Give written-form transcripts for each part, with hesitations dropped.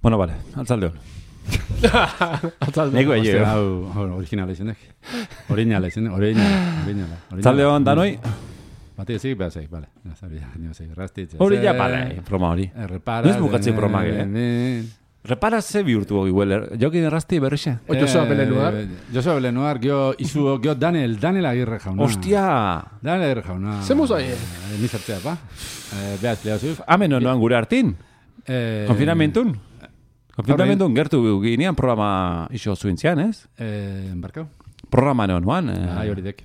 Bueno, vale, altzalde hon. Nego egin. Hau, originala izenek. Originala. Altzalde hon, danoi? Bate ezik, behar zeik, bale. Rastitze. Hori ja, bale, broma hori. Repara. Noiz bukatzen broma, Repara ze bihurtu hogi, jokin errasti berrixe. Josua Belenuar. Josua Belenuar, gio Daniel Agirre jauna. Ostia! Daniel Agirre jauna. Zemuz aie? Nizartzea, pa? Beaz, lehazuz. Hemen noan gure hartin? Konfinamentun? Konfinamentun gertu ginean programa iso zuintzian, ez? Embarkau? Programa noan. Bai, hori dek.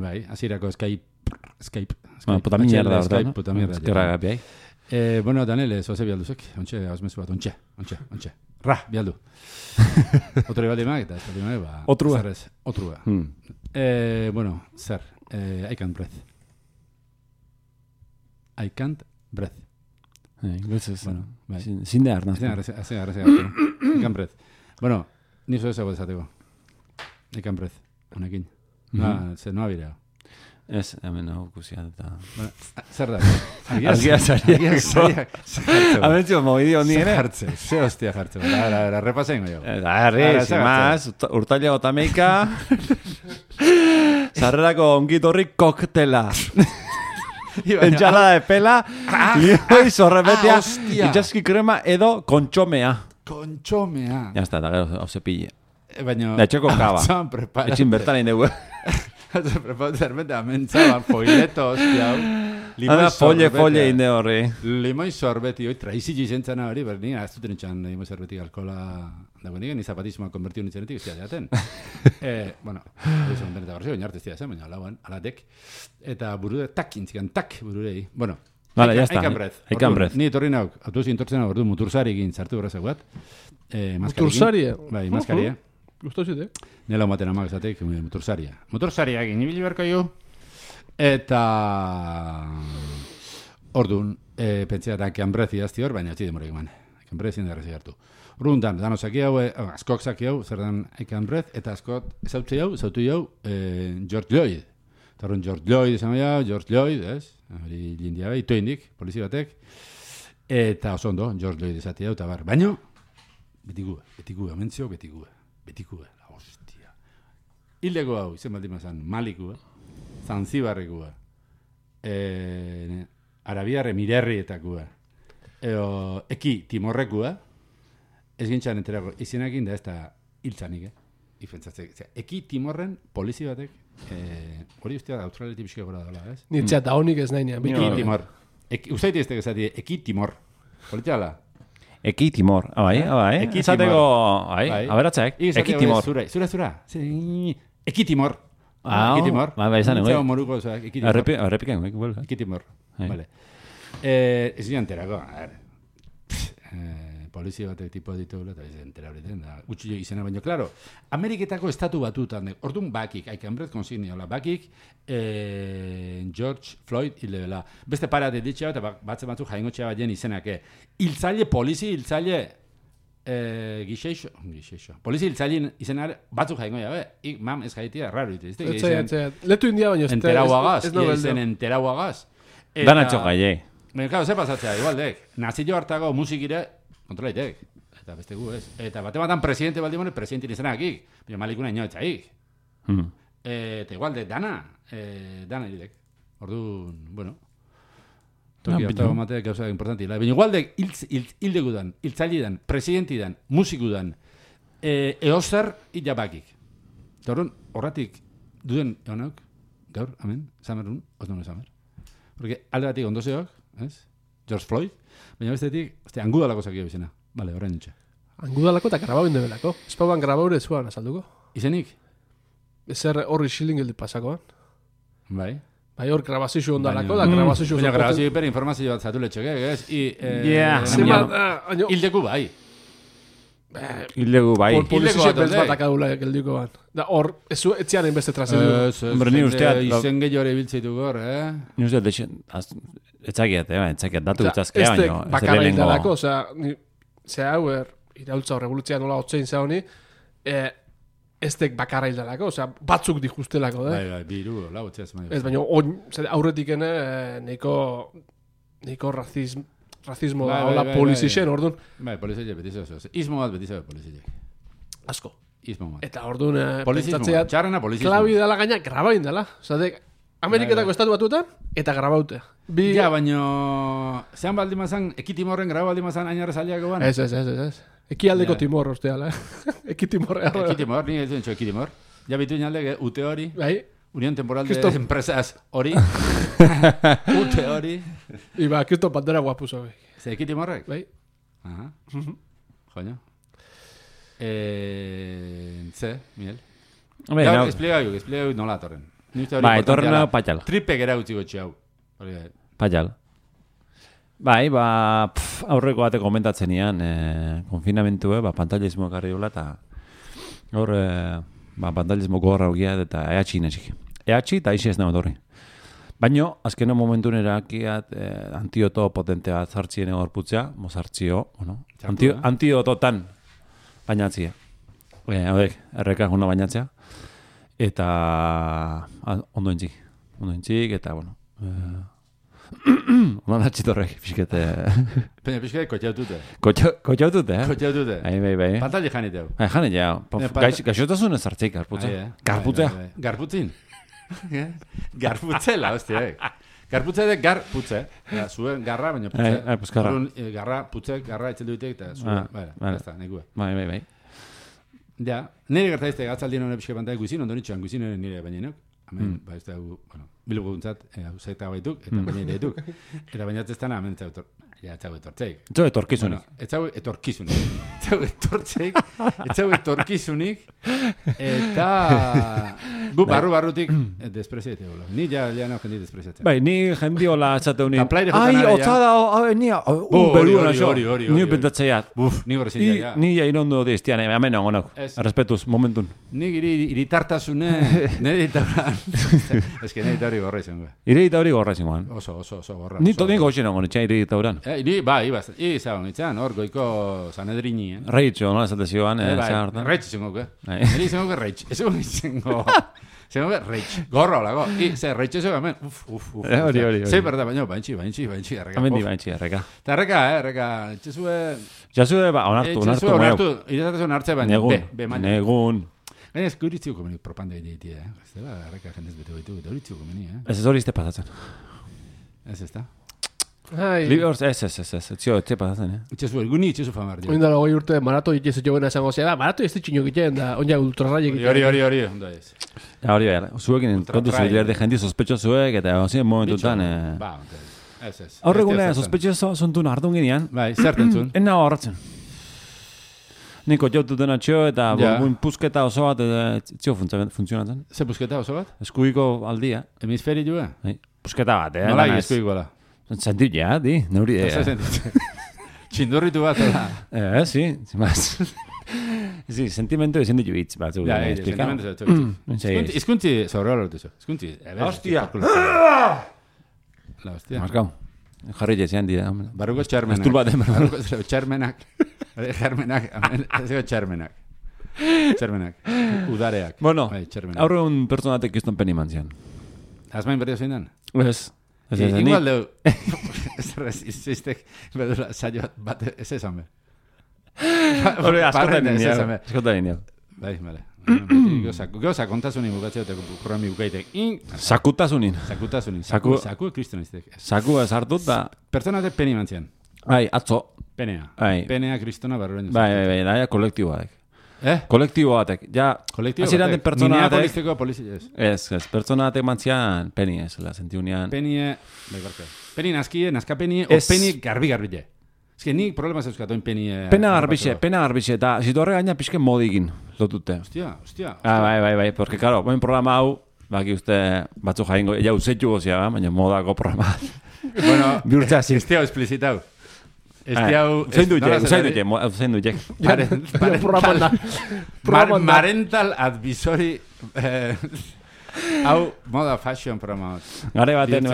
Bai, azirako Skype. Puta mierda, Skype, puta mierda. Eskerra gapiai. Bueno, Daniel, zoze bialduzek. Ontxe, hausmezu bat, ontxe. Ra, bialdu. Otro bat imak, eta ez bat imak, ba... Otrua. Zerrez, otrua. Bueno, zer, I can't breathe. I can't breathe. Bueno, bai. Zinde arnaz. I can't breathe. Bueno, nizo ezago desateko. I can't breathe, honekin. Zer, no abirea. Ez, hemen hau kusia eta... Zer da? Argiak. Abentzio, mogidio ni ere. Ze hostia jartze. Ara, repasen jo. Sin más, urtaila otameika. Sarrerako ongitorri koktela. Entxalada de pela. Lioi zorrebetea. Itxaski krema edo kontxomea. Kontxomea. Ya está, da gero, hau zepille. Baina... Da etxeko kaba. Etxin bertan egin dugu. Prepara zerbeta, mentzaban, foileto, hostia, hau. Folle inde horri. Limoi sorbeti, hoi, traizik izentzana hori, berni, ez duten etxan limoi sorbetik alkola dago nigen, ni zapatismoa konvertiu nintzenetik, ez jaten. Bueno, hori zegoen deneta garzio, baina arte ez zen, baina lauan, alatek. Eta burure, tak intzikan, tak bururei. Bueno, vale, ya está. I can breath. Ni etorri nauk, autobusi intortzen hau, ordu mutursari egin sartu berrazak bat. Mutursari? Bai, maskaria. Gustosite? Nela maten amak esatek, motorsaria. Motorsaria egin ibili berko jo. Eta... Orduan, pentsea da keanbrezi azti hor, baina etzi demorek eman. Keanbrezi indarrezi hartu. Orduan, dano zaki hau, askok zaki hau, zer dan keanbrez, eta askot zautu jau, George Lloyd. Eta orduan, George Lloyd esan jau, George Lloyd, ez? Hori lindia bai, itoindik, polizi batek. Eta oso ondo, George Lloyd esati hau, eta bar. Baina, betikua, mentzio, betikua, la hostia. Hildeko hau, izen baldima zan, Malikua, Zanzibarrekua, Arabiarre Mirerrietakua, Eki Timorrekua, ez gintzan enterako, izenakin da ez da hiltzanik, ifentzatzek. Eki Timorren polizi batek, hori ustea Australiatik bizka gora dela, ez? Nitzea da honik ez nahi nean. Eki Timor. Usaiti ez tegezati, Eki Timor. Politiala? Eki Timor, bai. Esateko, aberatzek, Eki Timor. Zura. Eki Timor. Eki Timor. Bai, izan egoi. Moruko, Eki Timor. Errepiken, vuelve. Eki Timor. Vale. Ez dira enterako, polizia batek tipo ditugula, eta ez entera horretan, da, gutxi izena baino, klaro, Ameriketako estatu batutan, orduan bakik, haikanbrez konsigniola, bakik, George Floyd hilebela. Beste parate ditxea, eta batzen batzuk jaingotxea bat jen izenak, hiltzaile, polizi hiltzaile, gixeixo, polizi hiltzaile izenak batzuk jaingoia, mam ez jaitia, raro ite, letu india baino, enterauagaz. Dana txokailei. Baina, ze pasatzea, igualdek, nazio hartago musikire, kontrolaitek, eta beste gu, ez. Eta bate presidente baldimone, presidente izenakik, baina Malikuna inoetzaik. Eta igualde, dana iridek. Orduan, bueno, toki hartago mateak gauza importantila. Baina igualde, hildegudan, hiltzailedan, presidentidan, musikudan, eozer hilabakik. Eta orduan, horratik duden egonauk, gaur, amen, zamerun, osnone zamer. Porque alde batik ondozeok, ez? George Floyd, baina bestetik, angudalako zakio bizena. Bale, horrein nintxe. Angudalako eta grabau indebelako. Espauan grabaure zuan azalduko. Izenik? Ezer horri xilin gildi pasakoan. Bai. Bai hor grabazio ondalako, da grabazio... Baina grabazio hiper informazio bat zatu letxoke, ez? Hildeku bai. Hildegu bai. Polizia beltz bat akadula geldiko bat. Da hor, etzianen beste trazidu. Ni usteat... Izen gehiore biltzeitu gor, Ni usteat, etzakiat, datu gutzazkea baino. Este bakarra hildalako, zera hau iraultza revoluzia nola otzein za honi, estek bakarra hildalako, batzuk dijustelako, Bai, biru, lau otzeaz. Ez baina, aurretik neiko razismo, Racismo da, hola polizixen, orduan. Bai, polizile beti zeu. Ismo bat beti zeu polizile. Asko. Ismo bat. Eta orduan, Polizismo, txarrena polizismo. klabi dela gaina, grabain dela. Osatek, Ameriketako estatu batuetan, eta grabaute. Ja, baino, zean baldimazan, ekitimorren graba baldimazan ainarra zaliako ban? Ez. Ekialdeko Timor, osteala. Ekitimor. Ekitimor, ni ez duen ekitimor. Ja bitu inalde, ute hori. Bai. Unión Temporal de Empresas hori. Ute hori. Iba, Cristo Pantera guapuso. Ze ekitimorrek? Bai. Aha. Joño. Ze, Miguel. Ja, explica nola torren. Bai, torren patxal. Tripek erautzi gotxe hau. Patxal. Bai, aurreko bate komentatzen ian, konfinamentue, pantalismo karri dola, eta hor, pantalismo gorra hogia, eta ehatxi inesik. Ehatxi eta isi ez nago torri. Baina, azkeno momentun erakiat, antioto potente bat zartzien egor putzea, mozartzio, bueno, antiototan bainatzia. Hodek, erreka juna bainatzea. Eta ondo entzik, eta, bueno, ondo natxitorrek, pixkete... Pena, pixkete kotxautute. Kotxautute, eh? Kotxautute. Bai. Pantali janiteu. Janiteu. Gaixotasun ez hartzik, garputzea. Garputzin. Garputzela, hostia, Garputze de garputze. Zuen garra, baina putze. Garra, putze, garra etxel duitek, eta zuen. Basta, nekue. Bai. Ja, nire gertaizte gatzaldien hone pixke pantai guizin, ondo nitxoan guizin nire baina nok. Hemen, ba, ez da, bueno, bilgu guntzat, zeta baituk, eta baina ere dituk. Eta baina ez dana, hemen etzau etortzeik. Etzau etorkizunik. Etzau etorkizunik. Eta gu barrutik despreziate hola. Ni ja nao jendi despreziatzen. Bai, ni jendi hola etzate honik. Ai, otzada, hori. Ni pentsatzeat. Ni gorezin ja. Ni ja irondo diztian, hemen ongonok. Respetuz, momentun. Ni iritartasune, nire iritarra. Ez que nire hori gorra izango. Ireita hori gorra izangoan. Oso gorra. Ni totin goxen ongon, etxean ireita horan. Izagon, itxan, hor goiko Sanedrini. Reitxo, nola esate zioan. Reitx izango, Neri izango reitx. Izango reitx. Gorra olago. Reitx izango, hemen. Hori. Zei berda, baintxi, erreka. Hemen di baintxi, erreka. Eta erreka, txezue... Jasue, onartu. Iretatasun hartze baina. Negun. Gaina ez guritziuko menik propanda egitea, Ez da, erreka jendez bete baitu, eta guritziuko meni, Ez hori izte pasatzen. Ez da. Etzio, etxe pasatzen, Itxezu, elguni itxezu famar. Oindala goi urte, marato itxezu jogena esango zea da, marato ez ditxino egiten da, onja ultrarraia egiten. Hori, ondo ez. Hori, zuekin kontu zuiler de jendi sospetxo zuek, eta hozien momentutan... Ba, ez. Horregune, sospetxo zontun hartun ginean. Bai, zertentzun. Enna horratzen. Niko jaututen atxio eta pusketa oso bat etzio funtzionatzen. Ze pusketa oso bat? Eskuiko aldia. Hemisferi joa? Pusketa bat, Nola eskuiko ala? Sentit ja, di, neuri. Txindurritu bat, sí, más. Sí, sentimentu ezin ditu hitz bat. Sentimentu ezin. Izkuntzi sobre horretu zo. Izkuntzi. Hostia. La hostia. Markau. Jarri jezean dira. Barruko txarmenak. Estul bat den. Barruko txarmenak. Txarmenak. Udareak. Bueno, aurre un personatek izton peni mantzian. Azmain berrio zein den? Ez. Igual deu. Iztek, bedura, saio bat, ez esan be. Hore, askotan nio. Bai, bale. Goza, kontasunin bukatzeo, eta programi bukaitek. Sakutasunin. Saku kriston iztek. Saku ez hartut da... Personate peni mantzian. Bai, atzo. Penea. Penea kristona barroen. Bai, daia kolektibo batek. Kolektibo batek. Ja, aziran den pertsona batek... Minea poliziko Ez, pertsona batek mantzian peni ez, la sentiunean. Penie, bai, barka. Peni nazkie, nazka penie, o peni garbi-garbile. Ez que nik problema zeuzkatu penie... Pena garbixe, eta zitu horre gaina pixken modigin lotute. Hostia. Bai, porque, claro, boin programa hau, baki uste batzu jaingo, ja usetu gozia, baina modako programa. Bueno, bihurtzea zin. Estia explizitau. Zein du jek. Marental advisory hau moda fashion programa. Gare baten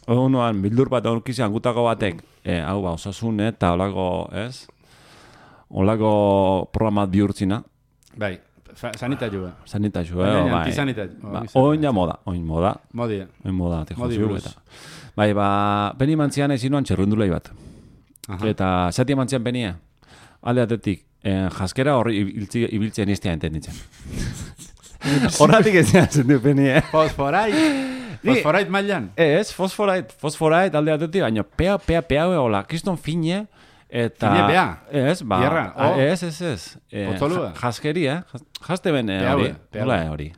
unuan bildur bat aurkizian gutako batek hau ba, osasun eta olako, ez? Olako programa bihurtzina. Bai, sanitazioa. Bai. Oin ja moda. Modia. Oin moda, te jozio eta. Bai, ba, peni mantzian ezinuan txerrundulei bat. Eta zati emantzian penia. Alde atetik, jaskera horri ibiltzen iztea entenditzen. Horratik ez zen du penia. Fosforait mailan? Ez, fosforait alde atetik, baina pea hola, kriston fine, eta... Fine pea? Ez, ba... Bierra, Ez. Potzolua? Jaskeria, jaste ben hori. Hola hori.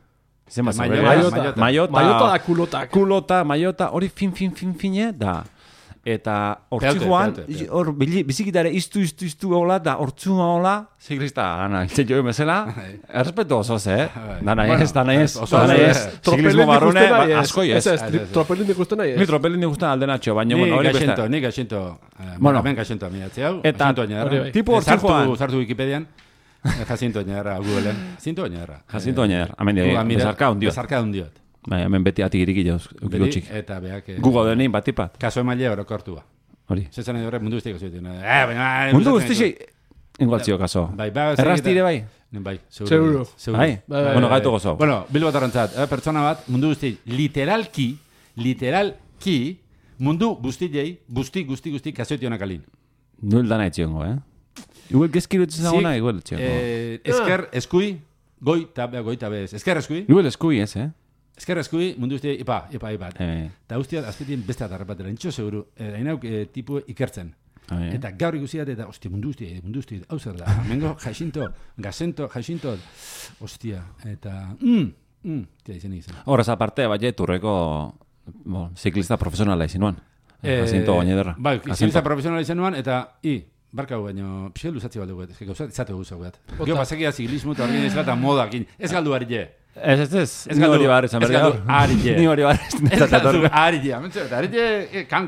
Maiota da kulotak. Kulota, maiota, hori fine da. Eta hortzi joan, hor bizikitare iztu hola, da hortzu hola, ziklista, gana, itxe joe mesela, errespetu oso dana ez. Ziklismo barrune, asko ez. Tropelin ikusten nahi ez. Ni tropelin ikusten aldenatxo, baina, bueno, hori besta. Ni gaxento, ben gaxento amiatzi hau, eta, tipo hortzi joan. Zartu Wikipedian, Jacinto Oñarra, Googleen. Jacinto Oñarra, hemen bezarka hundiot. Hemen beti atik iriki jauz, ukilotxik. Eta beak... Google denein batipat. Kaso emaile orokortua. Hori. Zetzen edo horrek mundu guztiak oso ditu. Mundu guztiak ingualtzio kaso. Errastire bai? Bai, seguro. Bai? Bueno, gaitu gozo. Bueno, bilbo tarrantzat, pertsona bat, mundu guzti, literalki, mundu guztiei, guzti, kasoetionak alin. Nuel dana etxiongo, Igual gezkiru etxezagona, igual etxiongo. Esker, eskui, goita bez. Esker, eskui. Igual eskui, Esker eskui, mundu guzti, ipa. Eta guztiat, azpetien beste atarrapatera, nintxo seguru, hainauk tipu ikertzen. Eta gaur ikusiat, eta, ostia, mundu guzti, hau zer da, mengo, jaixinto, ostia, eta, tia izan izan. Horrez aparte, bai, turreko, ziklista profesionala izan nuan. Jacinto Oñederra. Bai, ziklista profesionala izan nuan, eta, barka gu baino, pixel luzatzi baldu guet, izate guzau guet. Gio, basekia ziklismo eta horrein izan eta modakin, ez galdu harile. Ez. Ni hori barri zan berri. Ni hori barri zan berri. Ez galdu harile. Harile, kan.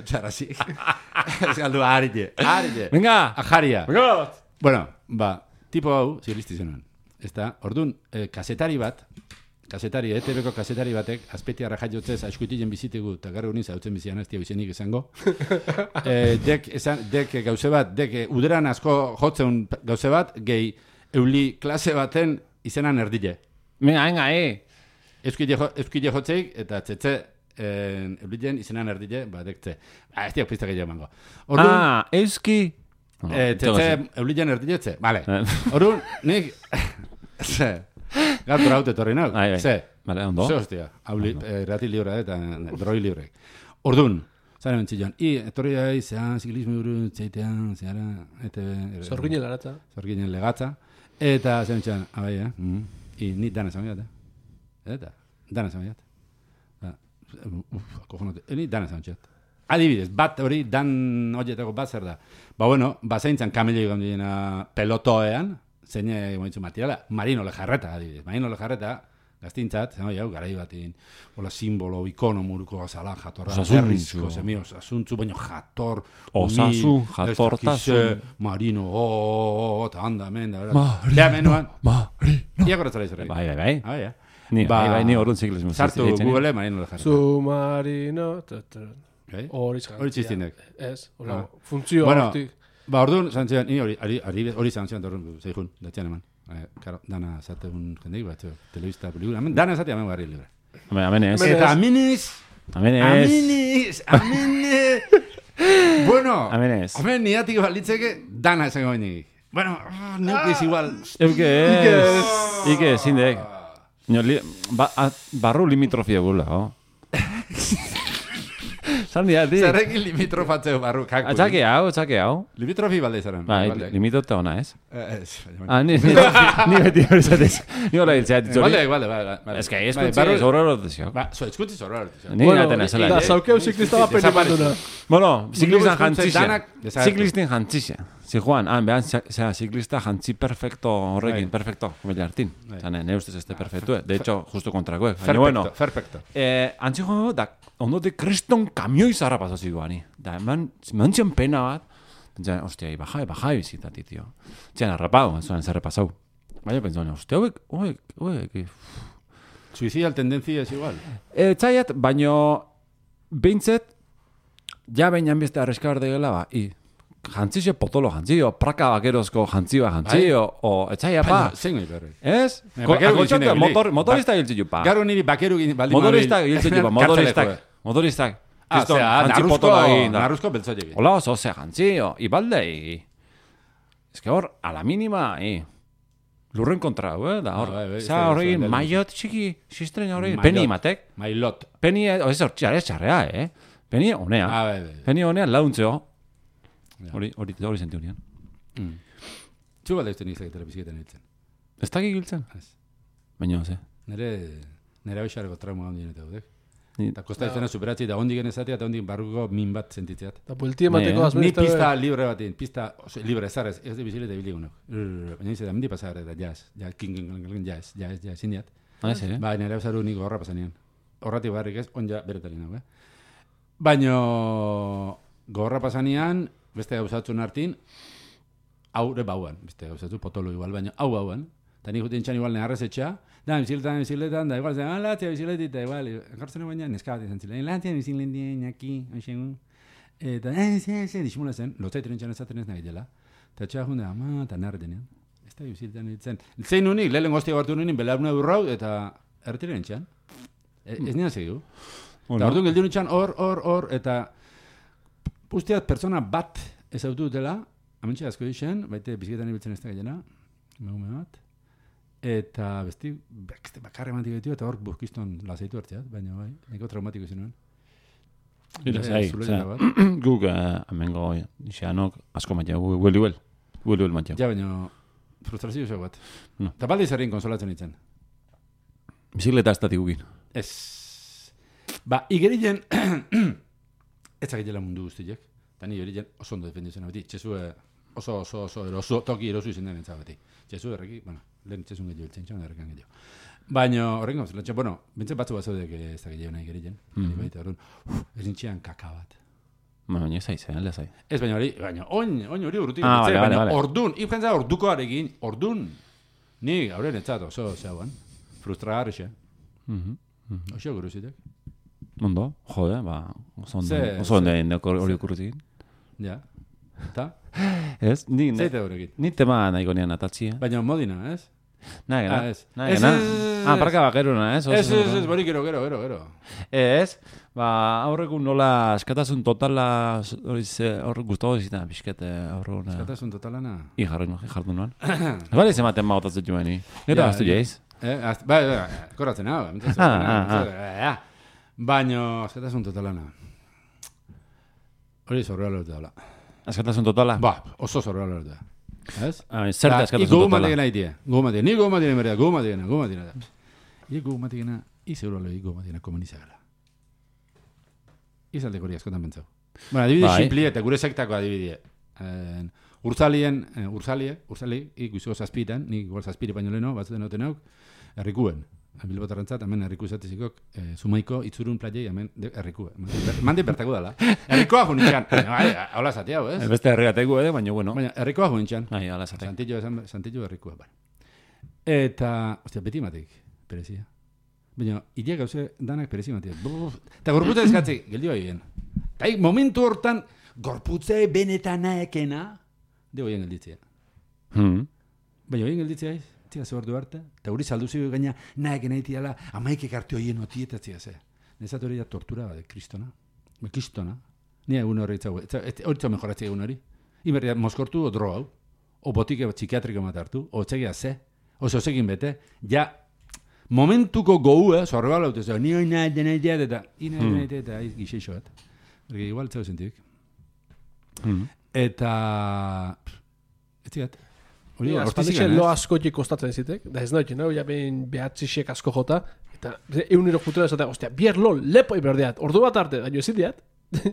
Txarasi. Ez galdu harile. Venga. Ajaria. Bueno, tipo hau, zirlisti zenuen. Ez da, orduan, ETV-ko kasetari batek, azpetiarra jaiotzez, aizkuitilen bizitegu, eta garri honin zautzen bizian ez tia bizenik izango. Dek gauze bat, uderan asko jotzen gauze bat, gehi euli klase baten izenan erdile. Venga, Euskile jotzeik, eta tzetze eulilen izenan erdile, dek tze. Ez tiak piztak egin emango. Euski... Tzetze eulilen erdile tze. Vale. Orduan, nik... Gaur haute torri nau. Ze. Vale, ondo. Ze hostia. Rati libre eta droi libre. Ordun, zaren bentzillan. Etorri gai, zean, ziklismo duru, txeitean, zeara, Zorginen legatza. Eta zaren bentzillan, abai, ni dana zamiat, Eta, dana zamiat. Kojonote, ni dana zamiat. Adibidez, bat hori, dan horietako bat zer da. Zaintzan kamilei gondina pelotoean, zeine gomitzu materiala, Marino Lejarreta, adibidez. Marino Lejarreta, gaztintzat, garai batin, hola simbolo, ikono muruko gazala, jatorra, berrizko, zemio, osasuntzu, baino jator, osasun, jatortasun, Marino, eta handa, menda, Marino. Iako ratzala izorri. Bai. Ni orduan ziklismo. Sartu Google, Marino Lejarreta. Submarino, hori txistinek. Ez, funtzio hortik. Orduan, zantzian, hori zantzian torren zeihun, datzean eman. Dana zateun jendeik bat, telebista, pelikula, dana zatea hemen garri libre. Amenez. Eta amenez. Bueno, hemen niatik balitzeke, dana esango benik. Bueno, neukiz igual. Ike, zindek. Barru limitrofia gula, Zandia, di. Zerrekin limitrofatzeu barru, kaku. Txake hau. Limitrofi balde izaren. Limitota ona, ez? Ez. Ni beti hori zatez. Ni hola hiltzeat itzori. Vale. Ez que eskutzi zorraro dezio. Eskutzi zorraro dezio. Ni gatena zela. Da, zaukeu ziklista bat pene banduna. Bueno, ziklistin jantzizia. Zijuan, behan, ziklista jantzi perfecto horrekin, perfecto, kumile hartin. Zane, ne ustez este perfectu, de hecho, justo kontrakoek. Perfecto. Antzi joan, da, ondote kriston kamioi zarra pasazio guani. Da, eman zian pena bat, pentsa, ostia, bajai bizitati, tio. Txan, arrapau, zuan zer repasau. Baina, pentsa, ostia, oek. Suicida tendencia es igual. Txaiat, baino, behintzet, ja behin beste arreskabar degela, jantzio potolo jantzio, praka bakerozko jantzio, o etxaia pa. Zein goi berri. Ez? Motorista giltzio pa. Garo niri bakeru Motorista giltzio pa, motoristak. Narruzko beltzoiek. Hola oso ze jantzi, ibaldei. Ez que hor, a la mínima, lurren kontra, da hor. Za horregin, maiot txiki, sistren horregin, peni imatek. Mailot. Peni, ez hor, txarrea, Peni honea. Peni honea launtzeo. Hori sentiu nian. Txu balde uste nizak telebizietan hiltzen. Ez dakik hiltzen? Baina, ze. Nere abixareko trauma handien eta dudek. Eta kosta izena superatzi, eta ondik genezatea, eta ondik barruko min bat sentitzeat. Eta buelti emateko azmenezta. Ni pista libre batin, pista libre ezarez, ez de bizile eta biligunak. Baina izan, mendi pasar eta jazz, jazz, indiat. Ba, nere abixaru niko horra pasanean. Horratik barrik ez, onja beretalina, Baina gorra pasanean, beste gauzatzen hartin, haure bauan, beste gauzatzu potolo igual, baina hauan, eta nik jutien txan igual neharrez etxa, da, biziletan, da, igual, latzia biziletit, da, igual, enkartzen baina, neskabat izan zilean, latzia biziletin, aki, anxegun, eta, dismula zen, lotzaiten entxan ezaten ez nahi dela, eta txea junde, ama, eta narre denean, ez da biziletan ditzen. Zein unik, lehen goztia gartu nunin, belaruna durrau, eta erretiren entxan, ez nian segiu. Eta orduan geldiun entxan, hor, eta usteat pertsona bat ez autu dutela, amentxe asko dixen, baite biziketan ibiltzen ez da gailena, megume bat, eta besti bakarre mantik betu, eta hor burkiston lazaitu hartzeat, baina bai, neko traumatiko izan nuen. Ira, guk amengo nixeanok asko matia, huel matia. Ja, baina frustrazio zego bat. Eta balde izarrien konsolatzen itzen. Bizikleta ez datik gukin. Ez. Ba, igerien, ez zakitela mundu guztiek. Eta ni hori oso ondo defenditzen abeti. Txezue oso toki erosu izan den entzabeti. Txezue erreki, bueno, lehen txezun gehiago biltzen txan, errekan gehiago. Baina horrengo, bueno, bintzen batzu batzudek ez da gehiago nahi gerien. Ez nintxean kaka bat. Baina ez zaiz, ez zaiz. Ez baina hori urrutik. Baina ordun, ikentza orduko arekin, ordun. Ni gaur netzat oso zeuan. Frustragarri xe. Oso guruzitek. Ondo, jode, oso ondo hori okurrutik. Ja, eta? Ez, zeite horrekin. Ni tema nahiko nian atatxia. Baina modina, ez? Nagena. Parka bakeruna, ez? Ez, bori gero. Ez, aurrekun nola eskatasun totala hor guztago zitan, pixket aurrekun. Eskatasun totalana? Jartu nuan. Bale izematen magotatzen joan, ni. Neta gaztu jaiz? Bai, korratzen hau. Baina, eskatasun totalana. Hori zorroa lortu dala. Eskatasun totala? Ba, oso zorroa lortu da. Ez? Zer da eskatasun totala? Gogu matikena itia. Ni gogu matikena merea, gogu matikena. Gogu matikena, izeguro lehi gogu matikena komunizagala. Izaldeko hori askotan bentzau. Bueno, adibide simpli eta gure sektako adibide. Urzali, ikuizko zazpitan, nik igual zazpiri baino leheno, batzuten noten hauk, errikuen. Bilbotarrentzat, hemen erriku izatezikok, Zumaiko, Itzurun, Plaiei, hemen errikue. Mandi bertako dala. Errikoa junitxan. Hola zatea, ez? Beste herriateko baina bueno. Baina errikoa junitxan. Hola zatea. Santillo errikua, Eta, ostia, beti matik, perezia. Baina, idia gauze danak perezi matik. Eta gorputza eskatzi, geldio egin. Eta momentu hortan, gorputze benetan naekena, dego egin gelditzea. Baina, egin gelditzea ez? Tia ze ordu arte, eta hori salduzi gaina naek naitiala, amaikek arte horien otietatzea ze. Nezat hori da tortura bat, kristona. Ni egun hori itzago, hori txau mejoratzea egun hori. Iberria moskortu o dro hau, o botike psikiatriko matartu, o txegia ze, o zozekin bete, ja, momentuko gohu, zorreba laute, ni hori nahi eta gixeixo bat. Ergi, igual txau zentik. Eta, ez zigat. Azpaldixen lo askotik kostatzen zitek, da ez nahi, ja behin behatzisek asko jota, eta egunero jutela esatea, ostia, bier lo lepo iberdeat, ordu bat arte, daño ezin diat,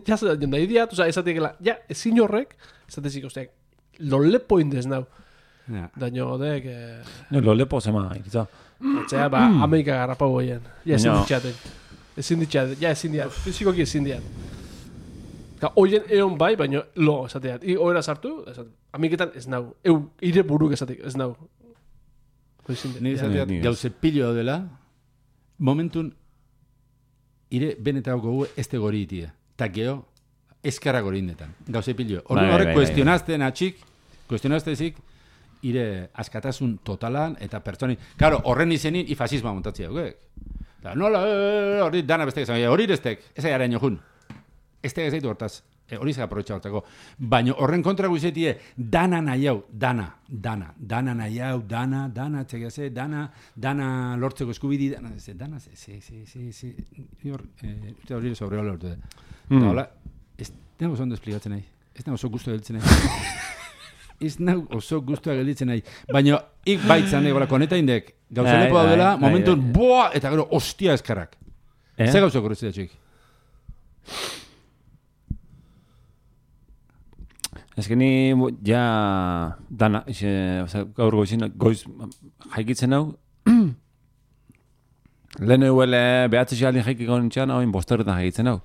ja nahi diat, oza, esatekela, ja, ezin horrek, esatezik, ostia, lo lepo indez nau. Daño odek... Lo lepo zema, ikitza. Etxea, Amerika garrapau goien, ja ezin diat, fizikoki ezin diat. Oien egon bai, baina lo esateat. Oera sartu, amiketan ez nau. Ire buruk esatek, ez nau. Ni esateat gauze pilo dela, momentun ire benetako gu ez te gori itia. Ta geho, eskarra gori indetan. Gauze pilo. Horrek kuestionazten atxik, kuestionaztezik, ire askatasun totalan eta pertsoni. Claro, horren izenin fascismoa montatzea. Nola, hori dana bestek, hori destek, ez aiaren jojun. ez da gazaitu hortaz. Hori zega aprobetxa hortako. Baina horren kontra guzetie, dana nahi hau, dana nahi hau, dana, txegaze, dana lortzeko eskubidi, dana, hori sobre hola urte. Eta hola, ez nago zondo esplikatzen nahi, ez nago oso guztua gelditzen nahi. Ez nago oso guztua gelditzen nahi. Baina, ik baitzan nahi, koneta indek, gauza lepo daudela, momentun, boa, eta gero, ostia eskarrak. Ze gauza korretzea txik? Ez que ni ja dana, gaur goiz jaikitzen hau, lehen euele behatzi xalin jaikiko nintxean, oin bosterretan jaikitzen hau.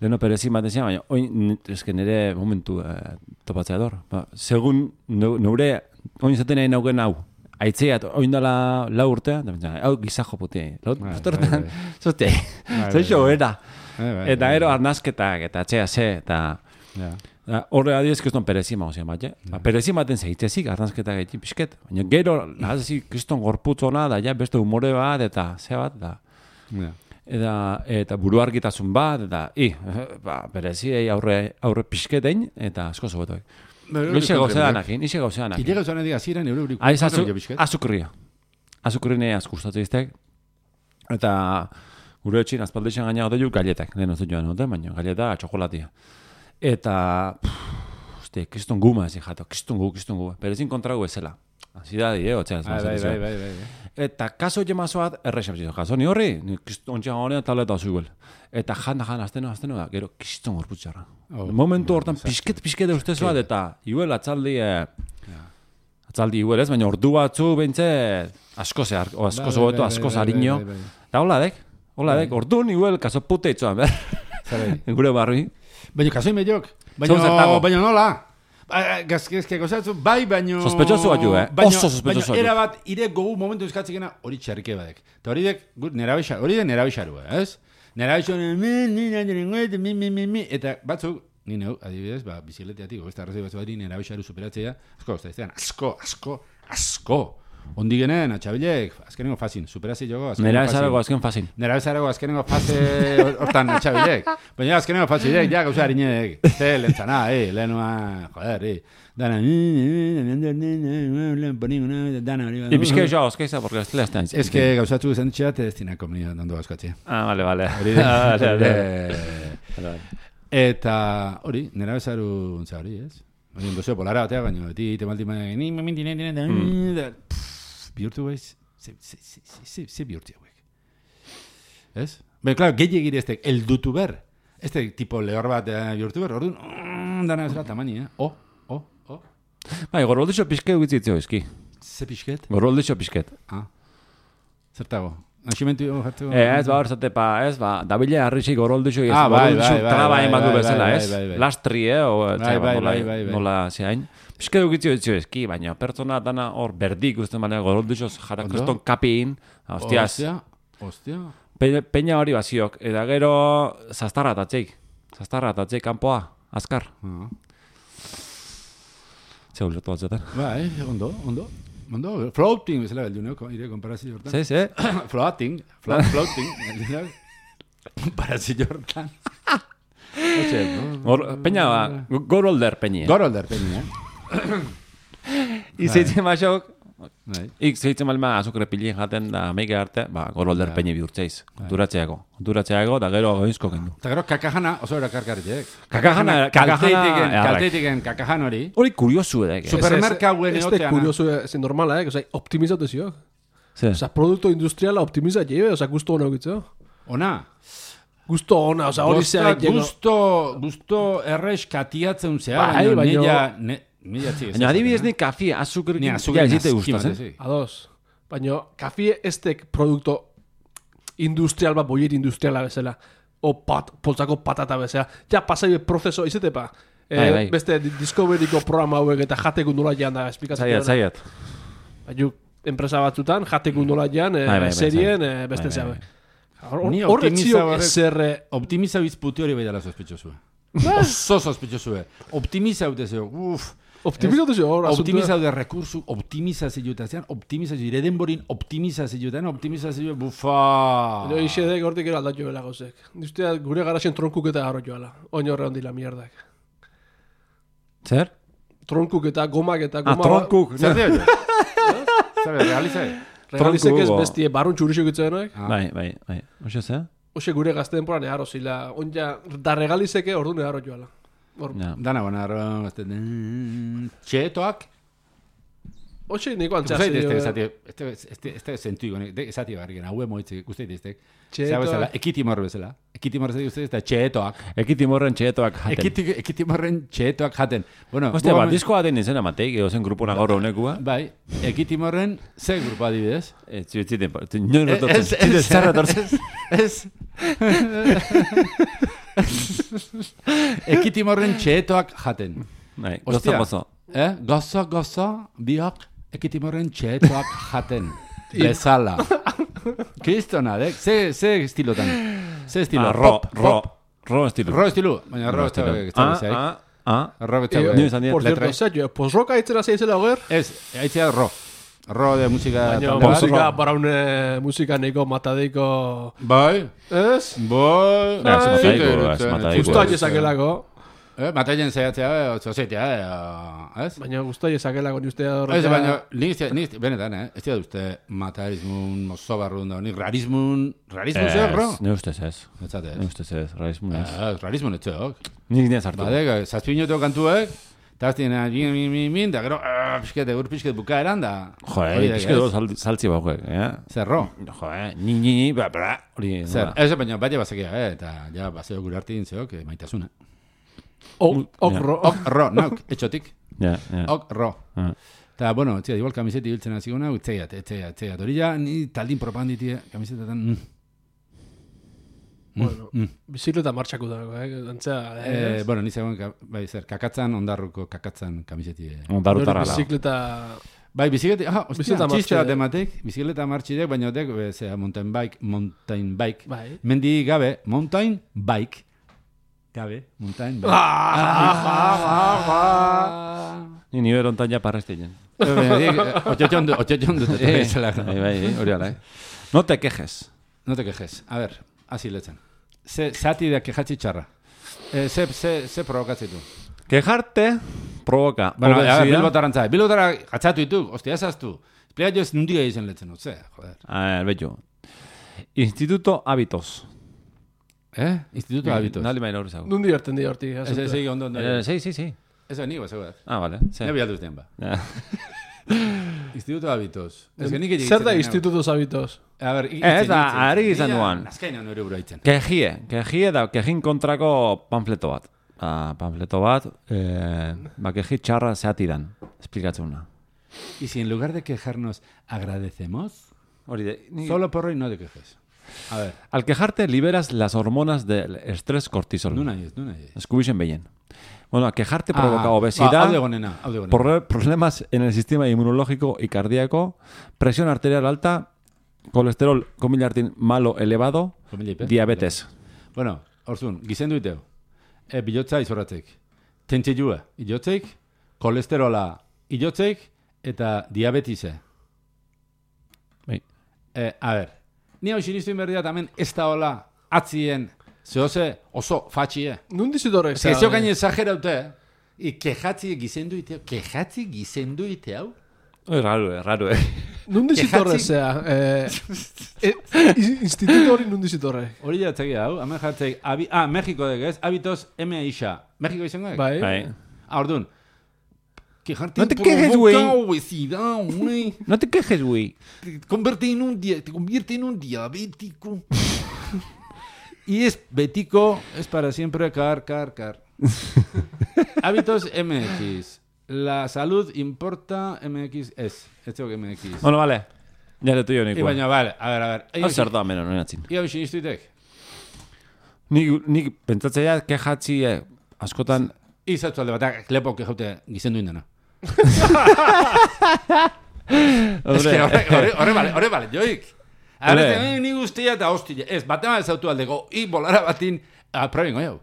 Leheno perezin bat ezin, baina oin nire momentu topatzea dor. Segun neure, oin zaten nahi naugen hau, aitzeiat, oin dala lau urtea, hau gizajo putea. Bosterretan, zote, zoixo era. Eta ero arnazketak, eta atxea ze, eta... Horre adiez, kriston perezima ozien bat, perezima den zeitzezik, arnazketak egin pixket, baina gero, nahazik, kriston gorputz hona, da ja beste humore bat, eta ze bat, da. Eta buru argitasun bat, eta, pereziei aurre pixketein, eta asko zobetuak. Ixe gauzeanakin. Ile gauzeanakin aziren eureurik. Azukria. Azukrine azkustatzen iztek, eta gure etxin azpaldeixen gaina gode ju galletak, lehen ozu joan dute, baina galleta txokolatia. Eta, kriston guma ezin jato, kriston gu, perezin kontragu ezela. Zidadi, otxeaz. Bai. Eta kaso jemazoat, errexam zizo, kaso ni horri, kriston txan horrean tableta osuguel. Eta jan, azteno, da, gero kriston gorputxarra. Momentu hortan pixket ustezoat, eta iguel atzaldi iguel ez, baina ordu batzu bentze asko zobetu, asko zarino. Eta hola dek, orduan iguel kaso pute itzoan, gure barri. Baina kaso imediok, baina nola. Gazkezke gozatzu, baina... Sospechoso bat ju, oso sospechoso bat ju. Baina era bat, ire gogu momentu izkatzikena hori txarrike badek. Eta hori dek, hori de nerabixaru, ez? Nerabixaru, eta batzuk, nire, adibidez, bizikleteatik, ez da arrazoi batzu bari nerabixaru superatzea, asko. Ondi genen, atxabilek, azkenengo fazin, superazi jogo, azken fazin. Nerabezarago azkenengo faze hortan atxabilek. Baina azkenengo fazilek, ja gauza harinedek. Lentzana, lehenua, joder, dana... Y pixke jo, ozkeiza, porque ez lehaztean. Ez que gauzatzu zen txeat, ez dinako meni dando azkatzea. Vale. Eta hori, nerabezaru ontza hori, ez? Oien dozeo polara batea, baina beti temaltima bihurtu baiz, ze bihurtu hauek. Ez? Baina, klaro, gehiagiri eztek, eldutu ber. Eztek tipo lehor bat bihurtu ber, orduan, dana ezera tamani, Bai, gorroldixo pixket guitzitzio ezki. Ze pixket? Gorroldixo pixket. Zertago? Naximentu jartu? Ez, hor zate dabile harrixi gorroldixo, traba ematu bezala, ez? Lastri, nola zehain. Pixket guitzio ezki, baina pertsona dana hor berdik usten balea gorroldixo jara kriston kapiin. Hostiaz. Peña hori baziok, eta gero zaztarra atatzeik kanpoa, azkar. Ze ulertu batzetan. Bai, ondo. Floating, bezala beldu, ire komparazio hortan. Ze? Floating, komparazio hortan. Peña, gorolder peñi. Izeitzen basok, zeitzen balma azukre pilien jaten da meike arte, gorolder peñi bihurtzeiz. Konturatzeago, da gero goizko kendu. Eta gero kakajana, oso era karkarritek. Kalteitiken kakajan hori. Hori kuriosu edek. Supermerkauen egotean. Este kuriosu zen normala, optimizatu zio. Osa, produkto industriala optimizat jebe, osa, gusto hona egitzeo. Ona? Gusto hona, osa, hori zeak jego. Gusto errex katiatzen zea, baina baina adibidez ni kafi azukrekin ja ezite gustatzen. Ados. Baina kafi estek produkto industrial bat, boier industriala bezala. O poltsako patata bezala. Ja, pasai prozeso izetepa. Beste Discoveryko programa hauek eta jateko nola jan da esplikatzen. Zaiat. Baina enpresa batzutan jateko nola jan serien beste zeabe. Optimiza bizputi hori baidala sospechosue. Oso sospechosue. Optimiza haute zeo. Optimizazio rekursu, optimizazio eta zean, ire denborin optimizazio, bufa. Ino isedek hortik era aldatu bela gozek. Duztea gure garaxen tronkuk eta garro joala. Oin horre hondila mierdak. Zer? Tronkuk eta gomak eta goma... tronkuk! Zer dio jo? Zer, realizai? Realizek ez bestie barrun txurixok itzuenak. Bai. Oxe ze? Oxe gure gazte denporan eharro zila. Onja, da regalizeke orduan eharro joala. Dana bona, txetoak? Oxe, niko antxasi. Este sentu igual, esati barriken, haue moitzik, uste diteztek. Txetoak. Ekitimor bezala. Ekitimor bezala, uste diteztek, txetoak. Ekitimorren txetoak jaten. Ekitimorren txetoak jaten. Hostia, bat diskoa den izena mateik, egozen grupuna gaur honekua. Bai, ekitimorren, ze grupo adibidez? Ziten, nio rototzen. Zerra tortzen. Ez. Ekitimorren txetoak jaten. Bai, gozo. Gozo, biok, ekitimorren txetoak jaten. Bezala. Kristona, ze estilotan? Ze estilo? Ro estilo. Ro estilo. Baina ro estilo. Ro estilo. Por cierto, Sergio, pues roka aitzera zeizela hoger? Ez, aitzera ro. Ro de música... Música para una música neko matadeiko... Bai. Ez? Bai. Matadeiko. Guztaile sakelako. Mataien zaiatzea, zozetea, ez? Baina guztaile sakelako ni ustea horretia... Ez, baina, nik, benetan, ez dira uste matarismun, mozobarrun da, nik rarismun zer, ro? Ne ustez ez. Etzate ez. Ne ustez ez, rarismun ez. Rarismun ez zeok. Nik nien zartu. Badek, zazpinoteo kantuek, eta aztien, da gero, pixket buka eran da. Pixket dugu saltzi bauek, Zer, ro? Ni, hori... Zer, ez, baina baina bazekia, eta ja, bazeo gure hartin zeok, maitasuna. Ok ro, nauk, etxotik. Ja. Ok ro. Eta, bueno, txea, igual kamiseti biltzen haziguna, etzeiat. Hori ja, ni taldin propaganditie, kamisetetan... Bueno, bizikleta martxako dago, Bueno, ni zegoen, bai, zer, kakatzan, ondarruko kakatzan kamiseti. Ondarrutarra lau. Bizikleta... Bai, bizikleta, txistea tematek, bizikleta martxidek, baina otek, mountain bike. Bai. Mendi gabe, mountain bike. Gabe, mountain bike. Ni nivel ontan ja parresteien. Otxotxon dut. Bai, hori ala, No te quejes. A ver, hasi letzen. Zati da quejatzi txarra. Ze provokatzitu? Quejarte provoca. Bueno, a ver, Bilbotara gatzatu dituk, hostia, ezaztu. Esplea jo ez nundia izen letzen, joder. A ver, bello. Instituto Hábitos. Instituto Hábitos. Nali maila horri zago. Nundi harten di horti. Sí, ondo. Sí. Eso nigo, segurat. Vale. Ne bialduz den ba. Instituto Hábitos. Zer da Instituto Hábitos? A ver, ez da, ari izan duan. Azkaina nire buru haitzen. Kejie da, kejin kontrako panfleto bat. Panfleto bat, keji txarra zehatidan. Esplikatzuna. Y si en lugar de quejarnos agradecemos, solo por hoy no te quejes. A ver. Al quejarte liberas las hormonas del estrés cortisol. Nuna ez. Escubixen behin. Bueno, a quejarte provoca obesidad, problemas en el sistema inmunológico y cardíaco, presión arterial alta, colesterol, comillartin, malo elevado, diabetes. Bueno, orzun, gizendu iteo. Bilotza izorratzek. Tentxilua ilotzek, kolesterola ilotzek, eta diabetise. Bai. A ver, ni hau sinistu inberdia tamen ez da hola atzien zehose oso fatxie. Nundi zidorek? Ez zeo gaine exageraute, kejatzi gizendu ite hau? Raro. Nundi zitorre zea. Instituto hori nundi zitorre. Hori jatzegi hau, hemen jartzegi, Mexiko degez, Hábitos M. Isha. Mexiko izango? Bai. Orduan, no te quejes, güey. Güey. No te quejes, güey. Te convierte en un diabético. Y es bético, es para siempre car. Hábitos MX. La salud importa MX es. Esto que MX. Bueno, vale. Ya le tuyo, Nico. Y baina, vale, a ver. Hau zer da, menon, noinatzin. Ia bixin iztuitek? Nik pentsatzea kejatzi askotan... Izatzu alde batak, klepo kejaute gizendu indena. Horre bale, joik. Arrete, ni guztia eta hostia. Ez, batema ez autu aldeko, bolara batin, probengo jau.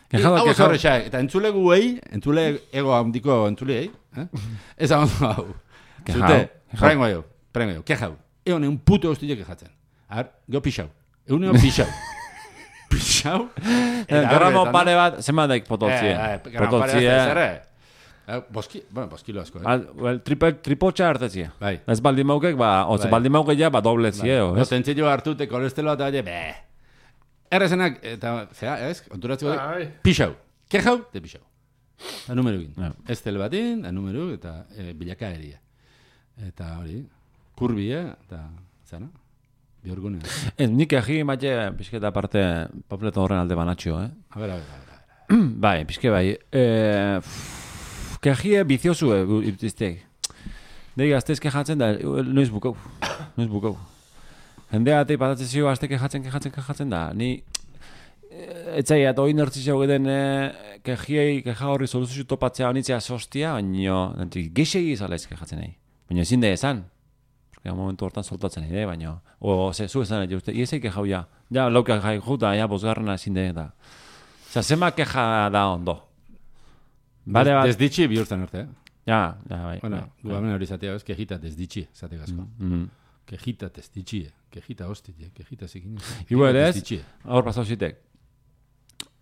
Hau zorrexak, eta entzule guei, entzule ego handiko entzulei, ez hau hau. Zute, prengo jo, kejau. Egon un puto hostia kejatzen. Gero pixau. Egun pixau. Pixau. Gramo pare bat, zema daik potoltzie. Boskilo asko, Tripotxa hartetzie. Bai. Ez baldin maukek, oze baldin maukek ja, dobletzie, ez? Tentzio hartute, kolesteroa eta oie, errezenak, eta, zera, ez? Konturatzeko, pixau. Kejau, te pixau. Da numero egin. Ez tel batin, da numero, eta bilaka eria. Eta hori, kurbia, eta, zara, biorgunea. Nik egi matxe, pixketa parte, papleto horren alde banatxo, A ver. Bai, pixke bai. Kegie biziosu irtizteak. Dei gaztez kejatzen da, noiz bukau. Jendea atei patatzezio azte kejatzen da. Ni etzaiat hori nertzizio geden keja horri soluzio topatzea honitzea sostia, baina geixegi izala ez kejatzen nahi. Baina ezin da esan. Porque momentu hortan soltatzen nahi, baina zu esan nahi uste, iesei kejau ja. Ja, lauka jai juta, ja, bosgarrena ezin da eta. Osa, zema keja da ondo. Desditxi bihurtzen arte, Ja, bai. Bueno, guamen hori zatea, ez, kejita desditxi, zate gazko. Kejita desditxi, kejita hostit, kejita zikin. Igual ez, aur pasau zitek.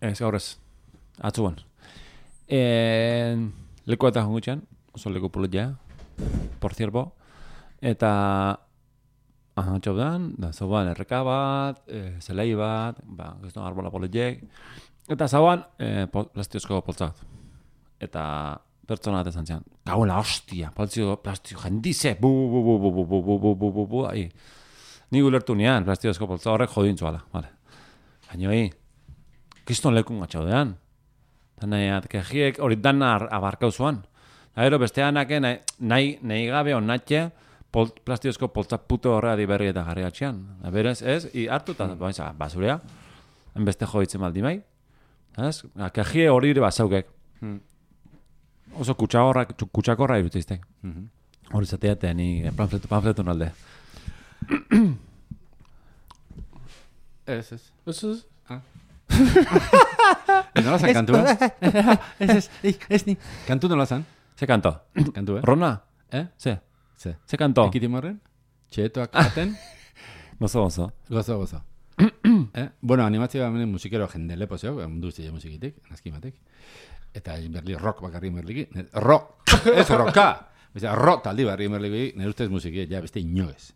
Ez, aurrez, atzuan. Leku eta jungutxean, oso leku pulet por cierto, eta txaudan, da zauan erreka bat, zelai bat, gizton arbola poletiek, eta zauan plastiozko poltzat. Eta pertsona bat esan zian, gauela hostia, plastio jendize, bu, ahi. Ni gulertu nian, plastiozko poltzat horrek jodintzuala, vale. Baina kiston lekun gatxaudean. Eta kejiek hori dana abarkau zuan. Gero besteanake nahi gabe onatxe plastiozko poltzat puto horrea diberri eta garri atxean. Berez, ez, hartu eta basurea, enbeste joditzen maldi mai. Kejie hori ere basaukek. Oso kutsakorra irutiztek. Hori zatea eta ni pamfletu nalde. Ez. Nola zan kantua? Ez ni. Kantu nola zan? Ze kanto? Kantu, Rona? Ze kanto? Ekitimorren? Txetoak aten? Gozo. Bueno, animatzea bamenen musikero jende lepo zeu, mundu zile musikitik, nazkimatek. Eta berli rock bakarri merliki. Rock! Ez rocka! Rock taldi barri merliki, nire ustez musiki, ja, beste inoez.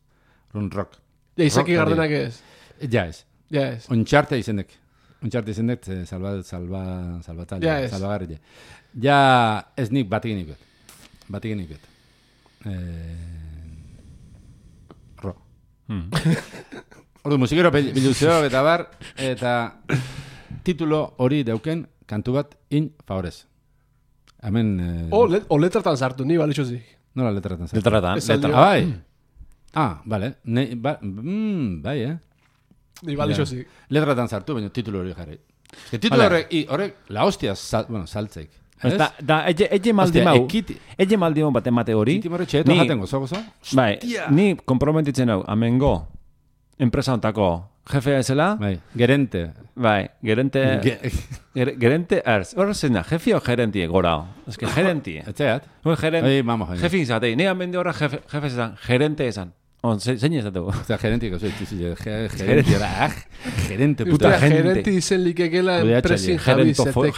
Rock. Ja, izaki gardenak ez? Ja, ez. Ontxarte izendek, salvagarri. Ja, ez nik batigenik bet. Rock. Ordu, musikero biluzio eta bar, eta titulo hori dauken kantu bat in favorez. Hemen... letratan sartu, ni balitxo zik. Nola letratan sartu? Letratan. Bai. Bale. Bai, Ni balitxo zik. Letratan sartu, baina titulo hori jarri. Titulo horrek, la hostia, saltzeik. Da, ege maldi mau bat emate hori. Ekitimorre txeto jaten gozo. Bai, ni komprometitzen hau, amengo, enpresa ontako jefe ezela. Bai, gerente. Bai, gerente... Gerente, horre zena, jefe o gerentie gorao? Ez que gerentie. Etxeat? Jefe izatei, ni amende horra jefe ezan, gerente ezan. Zein ezategu? Ostia, gerente, gerente, puta gente. Gerente izen likekela enpresin javi zetek.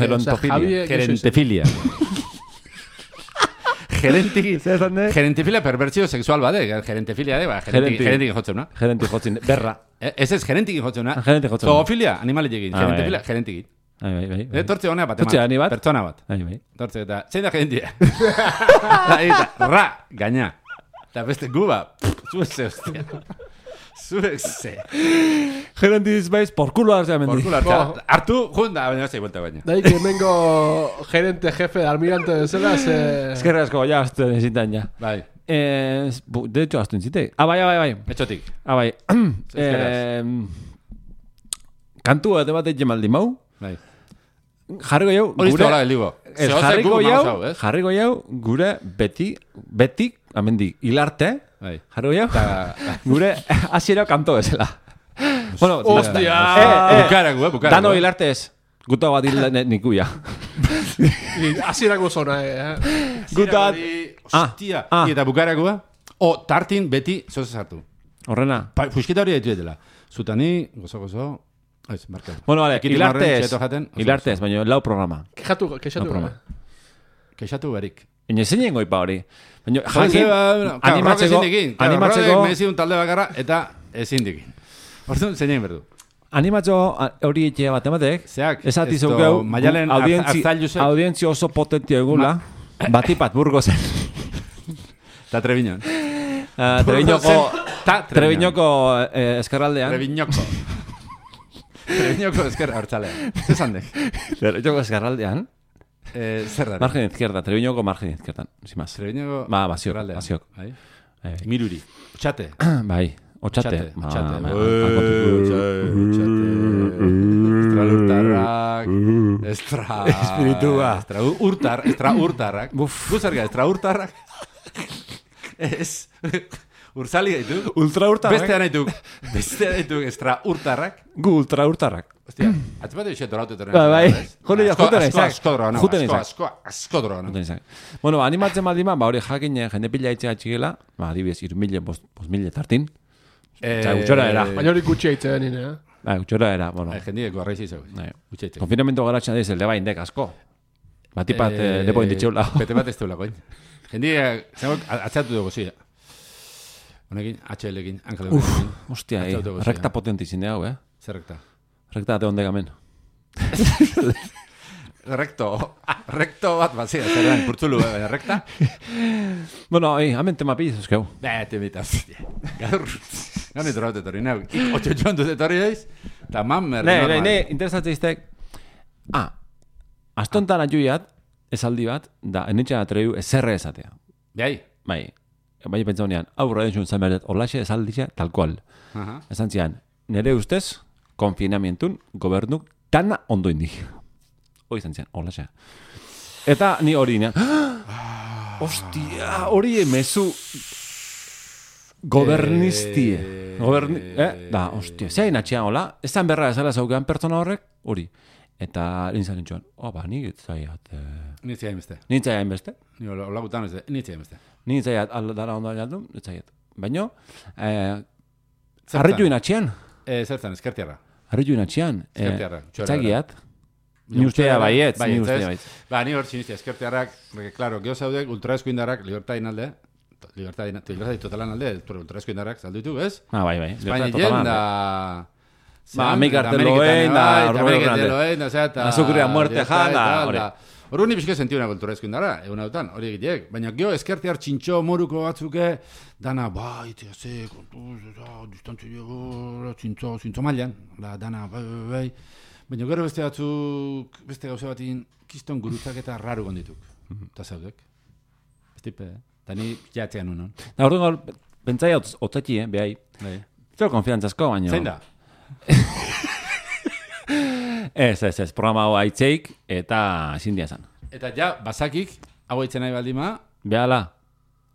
Gerentefilia. Gerentefilia perbertsio sexual bade. Gerentefilia de, gerentik jotzen, no? Gerentik jotzen, berra. Ez gerentik jotzen, no? Zoofilia, animalik egin. Gerentefilia, gerentik. Bai. Tortze honea bat, pertsona bat. Tortze eta, zein da gerentia? Ra, gaina. Eta beste guba, zueze, hostia. Zueze. Gerentiz baiz, porkulo hartzea mendi. Hartu, junda, baina zei vuelta baina. Daik, hemengo gerente, jefe, almirante bezala, ze... Eskerra asko, ja, aztu nezitan, ja. Bai. De hecho, aztu nezitek. Bai. Etxotik. Bai. Kantu bat emate jemaldi mau. Bai. Jarriko jau, gure... Jarriko jau, gure beti, amendi, hilarte, jarriko jau, gure hasiera kanto bezala. Bueno, hostia! Bukara. Dano hilarte ez. Guta bat nikuia. Hasierako zona, Guta... Hostia, eta bukarakoa, tartin beti zoze sartu. Horrena? Fuskita hori ditu edela. Zutani, gozo, ez, marka. Bueno, vale, hilartez, baina lau programa. Kexatu berik. Ine zein goipa hori. Baina, animatzeko... Mezi un talde bakarra, eta ezin dikin. Orduan, zein berdu. Animatzo hori etxea bat ematek, esati zeukeu, audientzio oso potentia egula, batipat Burgosen. Eta Treviñon. Treviñoko eskerraldean. Treviñoko eskerra hortzalean. Zesan dek? Treviñoko eskerraldean. Zer da? Margen izquierda, Treviñoko margen izquierdan, sin más. Treviñoko... Basiok. Miruri. Txate. Bai. Otxate. Estralurtarrak. Espiritua. Estraurtarrak. Guzarga, estraurtarrak. Ez. Urzali gaitu. Ultraurtarrak. Bestea gaitu estraurtarrak. Gu ultraurtarrak. Hostia, atzipatu eixet doratu terren. Bai. Asko drona. Bueno, animatzen baldima, hori jakin jende pila itxega txigela, adibidez, 3.000 tartin. Gutxora era. Baina hori gutxia itxe denine, gutxora era, bueno. Jendiko arraizi zeu. Konfinamentu garatxan diz, elde baindek asko. Batipat lepo inditxeula. Bete bat ez teula koin. Jendiko, atzatu dugu zi. Honekin, HL-ekin, Angeleukin. Hostia, rekta potenti zinde hau, Zer rekta? Rekta ate onde gamen. Recto bat bazia, zerren, purtzulu, rekta? Bueno, hemen tema pilez euskeu. Temita, gaur, gani drote etorri, neu, 8 joan dut etorri daiz, eta mammer, normal. Ne, interesatzen iztek, astontan atxuiat, esaldi bat, da, enitxan atreiu, ezerre esatea. Bai, pentsa honean, aurra den zuen zamerdet, olaxe esalditza, tal cual. Esan zian, nire ustez, konfinamientun, gobernuk, tana ondo indik. Hoi izan zian, olaxe. Eta ni hori nean, hostia, hori emezu gobernistie. Da, hostia, zein atxean hola, ezan berra ezala zaukean pertsona horrek, hori. Eta nintzen nintxuan, nik itzaiat... Nintzaiat hainbeste. Hola gutan ez, nintzaiat hainbeste. Nintzaiat aldara ondo aldun, itzaiat. Baina, harritu inatxean. Zertan, eskertiarra. Harritu inatxean. Eskertiarra. Txagiat. Ni ustea baietz. Ni hor txinistia, eskertiarrak, claro, geho zaudek, ultraeskuindarrak, libertadin alde, libertadin totalan alde, ultraeskuindarrak, saldu ditu, ez? Bai. Espaini jenda... Amerikarteloen, azukria muerte jala. Hor ni bizke sentiu una kultura eskuindara, eguna dutan, hori egiteek. Baina gio eskertiar txintxo moruko batzuke, dana, bai, ze, kontuz, distantzio, txintxo mailan, dana, bai. Baina gero beste batzuk, beste gauza batin, kiston gurutzak eta raru gondituk. Eta zaudek. Estipe, eta ni jatzean unon. Da hor dugu, bentsai otzaki, behai. Zer konfiantzazko, baina... Zein da? Ez, programa hau haitzeik, eta zindia zan. Eta ja, bazakik, hau haitzen nahi baldima... Behala.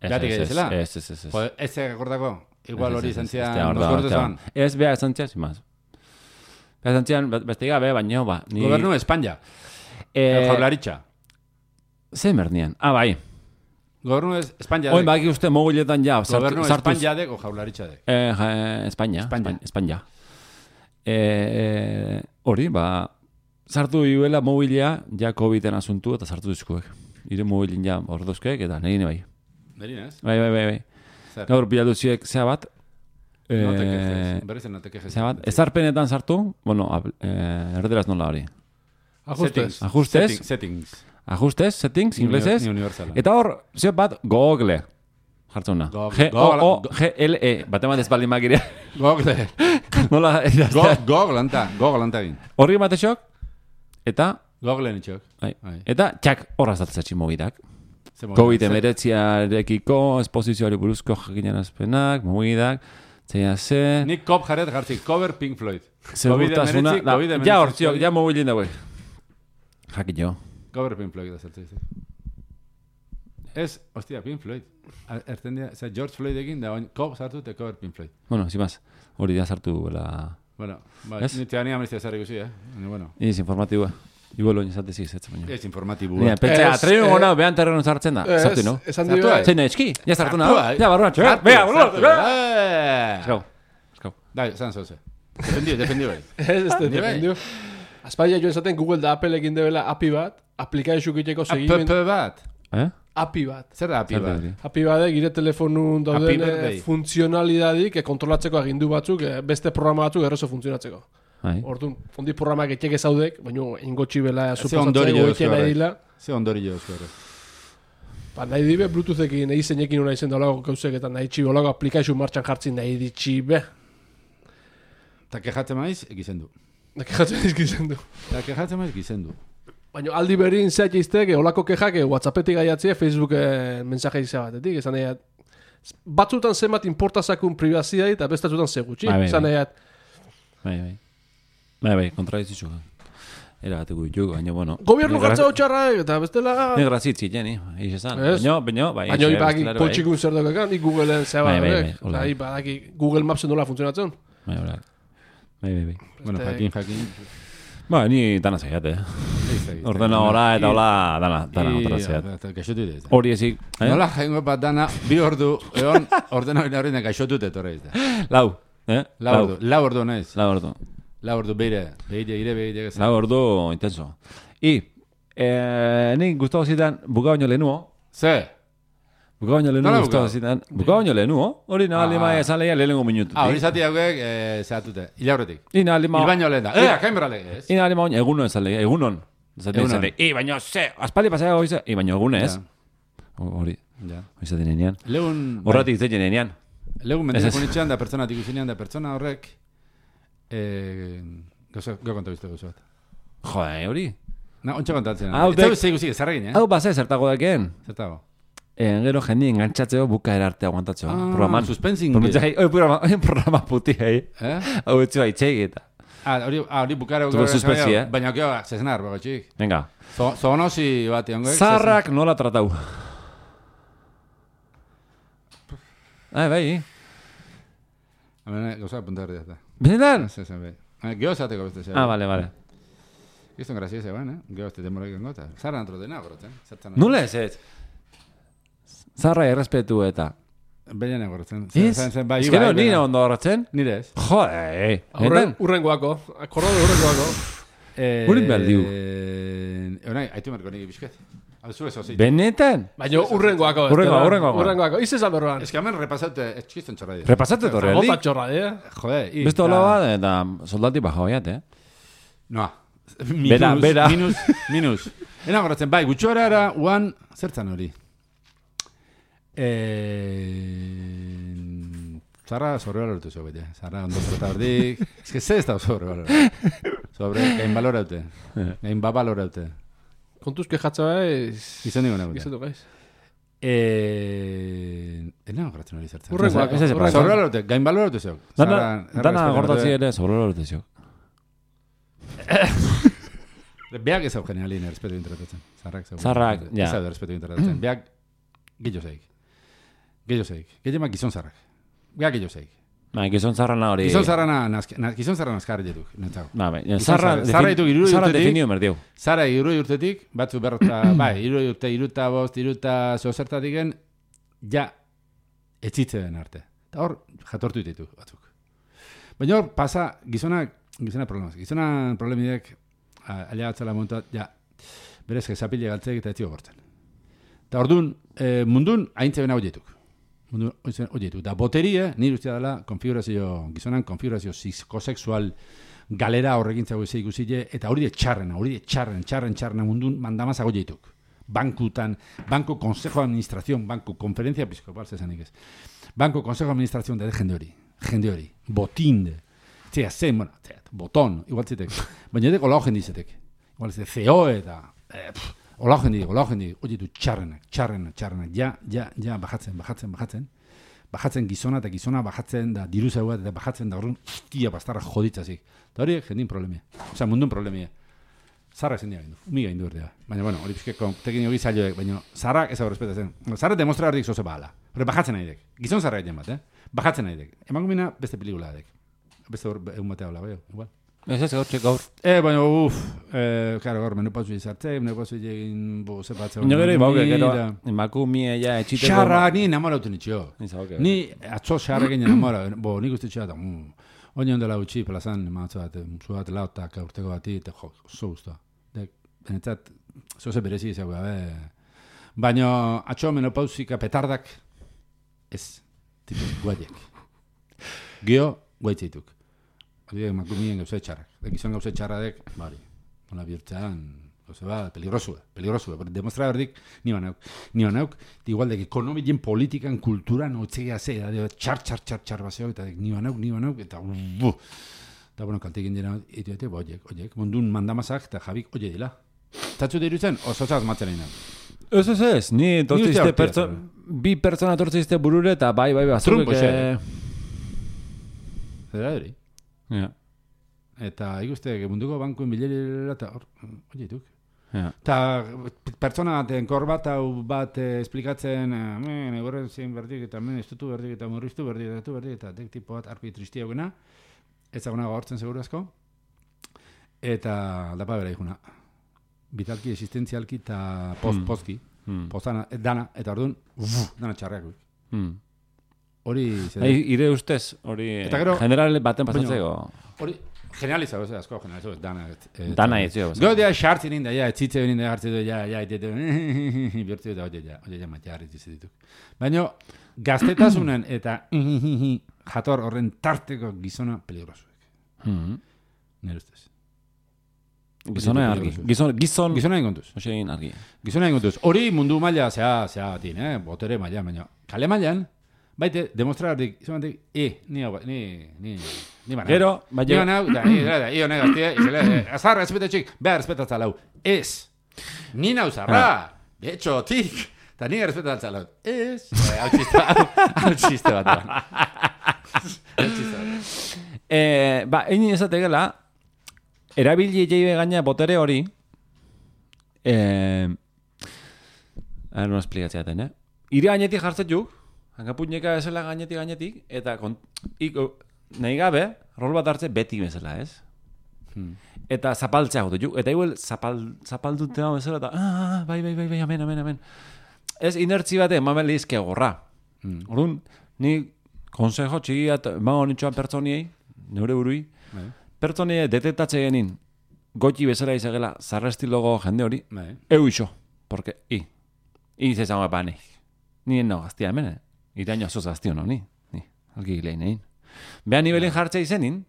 Behatik edizela? Ez. Ez akordako, igual hori zantzian, Ez beha zantzian, sin más. Beha zantzian, beste gabe, baina, ba... Gobernu Espanya. Jaularitza. Zer mernian? Bai. Gobernu Espanya. Oin baki uste mobiletan ja. Gobernu Espanya dek o jaularitza dek? Espanya. Hori, sartu iuela mobilia, ja COVID-en asuntu, eta sartu dizkuek. Ire mobilin ja ordozkeek, eta nerine bai. Nerine, ez? Bai. Gaur biladuziek zea bat. Berrizen note quejes. Zea bat, ezarpenetan sartu, bueno, erderaz nola hori. Settings, inglesez. Eta hor, zeo bat, Google. Jartzuna. G-O-O-G-L-E. Batemat ez baldin makirea. Google. Nola? Google anta egin. Horri batexok, eta... Google nitxok. Eta txak horra zatzatxi mobidak. COVID-19-arekiko, esposizioari buruzko jakinen azpenak, mobidak, zeia ze... Nik kop jarret jartzik, cover Pink Floyd. Segurtasuna... Ja hortziok, ja mobilin dauek. Jakin jo. Cover Pink Floyd da zertzei. Ez, hostia, Pink Floyd. George Floyd egin da, kop sartu te cover Pink Floyd. Bueno, sin más. Hori da sartu la... Bueno, nite ania amnistia zarri guzi, bueno. Iz informatiboa. Igual oin izate ziz, baina. Ez informatiboa. Pentsa, atreio gona, behan terreno sartzen da. Sartu, no? Esan dira. Zein eski, ja sartu nahi. Ja, barruan, txoa. Bea, barruan. Eskau. Dai, zan zoze. Defendio bai. Ez defendio. Azpaia joan zaten Google da Apple egin debela API bat, aplikazio egiteko segimen. APP bat? API bat. Zer da API bat? API bat, gire telefonun dauden funtzionalidadik kontrolatzeko agindu batzuk, beste programa batzuk errezo funtzionatzeko. Orduan, fondi programak etxek ezaudek, baina ingotxi bela suposatzeko egiten nahi dila. Ze ondori jo ezko ere. Nahi dibe, Bluetoothekin, nahi zeinekin hona izen daulago gauzek, eta nahi txibe, olago aplikazio martxan jartzen nahi ditxibe. Eta kejatzen maiz, egizen du. Baina aldi berin zeak iztek, olako kejak WhatsAppetik gaiatzea, Facebook mensaje izan batetik, esan nahiat. Batzutan zenbat importazakun privazia eta bestatzutan segutxi, esan nahiat. Bai, kontradizitzu. Era bateko ditugu, baina, bueno. Gobierno jartza hotxarra, eta bestela... Negra zitzi, jeni, eiz esan. Baina, bai. Baina, ibaki poltxikun zer dokekan, nik Googleen zeba. Bai, Google Mapsen nola funtzionatzen. Bai. Bueno, jakin. Ba, ni dana zaiat, Ordena hora eta hola dana otra zaiat. Gaixotu dut. Hori ezik. Nola jaingo bat dana, bi ordu, egon, ordena hori gaixotu dut horreiz da. Lau ordu naiz. Lau ordu beire. Lau ordu intenso. Nik gustavo zidan buka baino lehenuo. Ze? Buka baino lehenuo gustavo zidan. Buka baino lehenuo. Hori nahaldi ma esan lehia lehenengo minutu. Hori zati hauek zehatute. Ilaurretik. Il baino lehen da. Kain berra lege ez? Nahaldi ma baino egunon esan lehia. Egunon. Baino ze. Aspaldi pasea goize. Baino egun ez. Hori. Hori zaten enean. Horratik zeiten enean. Legun mentekonitxean da pertsonatik usinean da pertsona horrek gau kontabizte gauza bat. Jode, hori? Ontsa kontatzen. Eta zei guzik ezarregin, Hau base zertago dakeen. Zertago. Gero jendi engantzatzeo buka erarte aguantatzeo. Programan. Suspensing. Programa puti, Hau etxua itxegi eta. Hori bukara. Baina okeo, zezenar, bago txik. Venga. Zonosi bat iongoek. Zarrak nola tratau. Bai. Gauza apunta berdi da. Benetan? Geo zateko beste zea. Vale. Gizton grazia zeban, Geo este demorek engota. Zarra antro dena, gorotzen. Nula ez? Zarra errespetu eta... Beian egortzen. Ez gero nire ondo horretzen? Nire ez. Jode, Urrengoako. Akorrode urrengoako. Urin behar diu. Aitu marko nire bizket. Benetan? Baina urrengoako. Urrengoako. Ize zan berroan. Ez que hemen repasaute, ez txizten txorra dira. Repasaute torre, Gota txorra dira. Jode, beste hola bat, eta soldati baja hoiat, Noa. Bera. Minus. Ena goratzen, bai, gutxora era, uan, zertzan hori. Zarra sobre balortu zeu bete. Zarra ondo trata hordik. Ez que ze ez da sobre balortu. Gain baloraute. Gain babaloraute. Kontuz kejatza ez... Gizan digo nagoen. Gizan dugu ez. Ena goratzen hori zertzen. Urrengoak. Sobre balortu, gain baloratu zeu. Dana gordatzi ere sobre baloratu zeu. Beak ez hau genialin errespetu interpretatzen. Zarrak, ja. Ez hau errespetu interpretatzen. Beak gillo zeik. Gehiemak gizon zarrak. Beak gillo zeik. Gizon zarrana hori... Gizon zarra nazkar jetuk. Zarra definio merdiu. Zarra irui urtetik, batzu berrota, irui urte, iruta bost, iruta zozertatiken, ja, etxitze den arte. Eta hor, jatortu ditu batzuk. Baina hor, pasa, gizona problemaz. Gizona problemidek, alia batzala montuat, ja, berez, gezapile galtzek eta etxio gortzen. Eta orduan, mundun, haintze bena horietuk. Da boterie, nire ustea dela, gizonan konfigurazio psikosexual galera horrekin zago izai guzile, eta hori de txarrena mundun mandamaz agoieituk. Bankutan, Banco Consejo de Administración, Banco Conferencia Episcopal, zezanik ez. Banco Consejo de Administración de jende hori, botin, boton, igual zitek. Baina edek olau jendizetek. Igual zitek, CEO eta... Olau jendi, hori du txarrenak, ja, bajatzen gizona eta gizona bajatzen da diru zau bat eta bajatzen da horren hostia bastarra joditzazik. Eta hori jendin problemia, osea mundun problemia. Zarra ezin dira gindu, umiga gindu berdea. Baina, bueno, hori pizkeko tekinio gizalioek, baina zarrak ez hau respetatzen. Zarra demostra horrik zoze bahala. Hori bajatzen nahi dek, gizon zarra egiten bat, bajatzen nahi dek. Eman gumina beste pelikula dek. beste hor, egun batea hola, igual. Ez gaur. Baina, karo, gaur, menopauzu izartzei, menopauzu egin, zepatzea. Ino gero, gero, emakumie ja etxiteko. Xarra, ni enamoratu nitxio. Ni atzo xarra egin enamora, nik uste txea, oin ondela utxi, plazan, maatzu bat, lautak, urteko bati, eta jo, oso guztua. Benetzat, zoze berezi izango, baina, atzo menopauzika petardak, ez, tipuz, guaiek. Gio, guaitzeituk. Hori emakumien gauze txarrak. Gizon gauze txarradek, bari, nola bihurtzean, gauze bat, peligrosue. Demostra berdik, ni banauk. Igual dek ekonomien politikan, kulturan, otzea ze, txar baseo, eta ni banauk, eta eta bueno, kaltekin dira, eta oiek, mundun mandamazak, eta jabik, oie dila. Zatzu dirutzen, oso zaz matzen egin. Ez, ni tortzizte, bi pertsona tortzizte burure, eta bai, Trumpo Zera hori? Ja. Eta ikuste, munduko bankuen bilerera eta hor, oietuk. Ja. Eta pertsona baten kor bat hau bat esplikatzen, egorren zein berdik eta estutu berdik eta murriztu berdik eta dek tipo bat arpi tristia eguna, ezaguna gaurtzen seguru asko, eta aldapa bera ikuna. Vitalki, existentzialki eta postki, postana, dana, eta orduan, dana txarrak. Hori... Ire ustez, hori general baten pasatzeko. Hori generalizago, asko generalizago, dana. Dana etzio. Gau dira xartzen inda, etzitze benin da hartze du, bihurtze da, oie, matxarri dituk. Baina, gaztetasunen eta jator horren tarteko gizona peligrosuek. Nire ustez. Gizona argi. Gizona ingontuz. Osein argi. Gizona ingontuz. Hori mundu maila zea batin, botere maila, baina kale mailan, baite, demostrardik, izamantik, ni baina. Gero, baina. Ni baina, da, io negaztie, azarra, espetatxik, behar espetatza lau. Ez. Ni nauzarra. De hecho, tik. Eta ni espetatza lau. Ez. Hau txiste bat. Egin ezategela, erabili jeibe gaina botere hori, no esplikatzeaten, ire gainetik jartzetuk, hankapuñeka bezala gainetik, eta nahi gabe, rol bat hartze beti bezala, ez? Eta zapaltzea gotu, eta igual zapaldutea bezala, eta bai, amen. Ez inertzi bate, emamen lehizke gorra. Orduan, ni konsejo txigiat, emango nintxoan pertsoniei, neure burui, pertsonea detektatze genin goti bezala izagela zarrestilogo jende hori, eu iso, porque zezango epane. Ni no gaztia hemen, iraino azoz gaztio no, ni alki gilein egin. Beha nibelin jartzea izenin,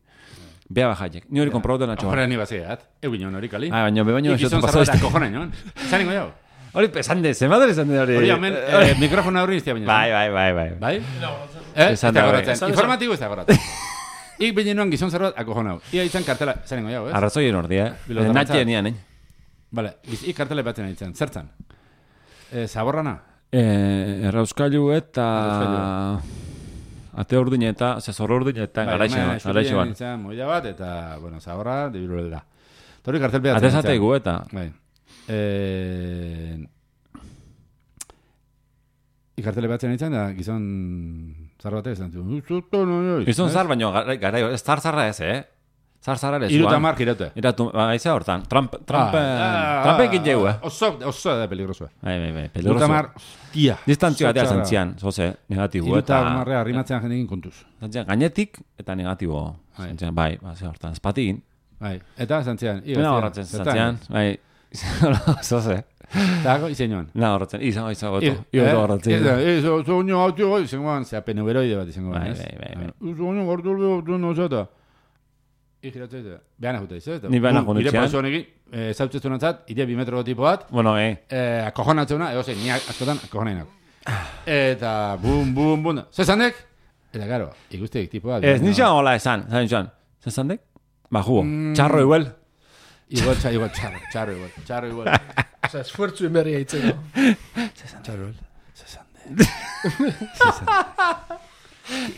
beha bajaiek. Ni hori komprobatu natxo. Horre ni baziat, eu bineon hori kali. Baina izan zarbata kojona nion. Zaningo jau. Hori pesande, zemador izan hori. Hori hemen, mikrofona horri iztia baina. Bai? Informatibo ez da goratzen. Ik binenuan gizon zerbat akojona hau. Ia izan kartela, zanengo jau, ez? Arrazoien ordi, Natxe nian, Vale, ik kartela batzen ditzen. Zertzan? Zaborrana? Errauskailu eta... Ate urdin eta, zezor urdin eta garaixe ban. Moida bat, eta, bueno, zaborra, dibiru da. Tori kartel behatzen. Ate zateigu eta... Ikartele batzen ditzen da, gizon zar batez. Gizon zar, baina gara, ez zar-zarra ez, Zar-zarra ez. Iruta mar giraute. Aiza hortan, trampekin jau, Oso da peligrosua. Bai, peligrosua. Iruta mar, tia. Distantzio batea zantzian, zoze, negatibo. Iruta marrea arrimatzean jendekin kontuz. Zantzian, gainetik eta negatibo. Zantzian, bai, ze hortan, espatigin. Bai, eta zantzian. Pena horretzen zantzian, bai, zoze. Dago, izen joan. Na, horretzen, izango goto. Ioto horretzen. Zo unio hau tio, izango ban, zea penuberoide bat izango ban, ez? Bai. Zo unio gortu lehatu nozata. Ikiratu ez, behana jute izan. Ni behana jute izan. Ire paso honekin, zautzetu nantzat, ide 2 metro tipo bat. Bueno, akojonatzena, egoze, ni askotan akojonainak. Eta, bum. Zezandek? Eta, karo, ikustek tipo bat. Ez, nixan hola esan, zezandek? Ba, jugo, txarro igual. Igual, txarro igual. Osa, esfuertzu emerria itzeko. Txarro igual. Zezandek.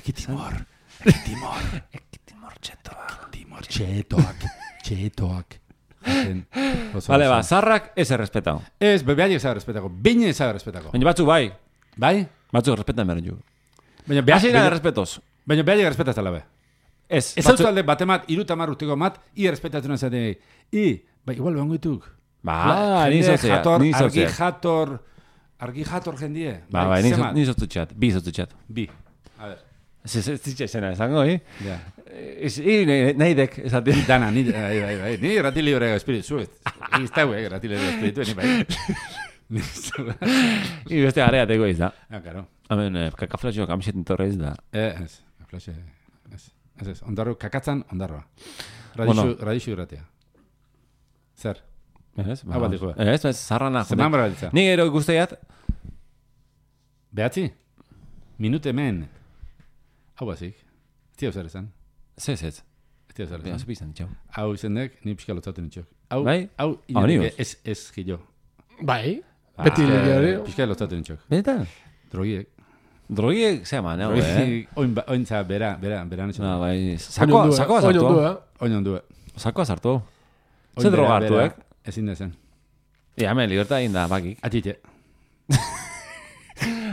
Ekitimor. Txetoak. Vale, zarrak ez errespetao. Ez, behaiek ez errespetako. Bine ez errespetako. Baina batzuk bai. Bai? Batzuk errespetan beren ju. Baina behaiek errespetoz. Baina behaiek errespetaz tala be. Ez autalde batemat, 30 urteko mat, errespetatzen azate, bai, igual behango dituk. Ba, ni soziat. Argi jator jendie. Ba, ni sotutxat. Bi sotutxat. Bi. A ver. Ez zitxezena esango, Ja. Nahi dek, esate. Dana, bai. Ni rati libre espiritu, iztau, rati libre espiritu, ni bai. I beste areateko iz da. Claro. Hemen, kakaflaxio kamisetin torre iz da. Ez, kakaflaxio, ez. Ondarro, kakatzan, ondarroa. Radixu irratea. Zer? Ez, zarrana. Zeman bera ditza. Ni gero guztiat. Behatzi? Minute men. Hau bazik. Ez tira zer esan. Ez. Ez tira zer esan. Bizan, txau. Hau izendek, ni pixka lotzaten itxok. Bai? Hau, ez gilo. Bai? Beti hori. Pixka lotzaten itxok. Benetan? Drogiek, zeman, ointza, bera netxo. Bai, sakoa sartu. Oinondue. Sakoa sartu. Ze droga hartu, Ezin dezen. Hemen, libertad egin da, bakik. Atxite.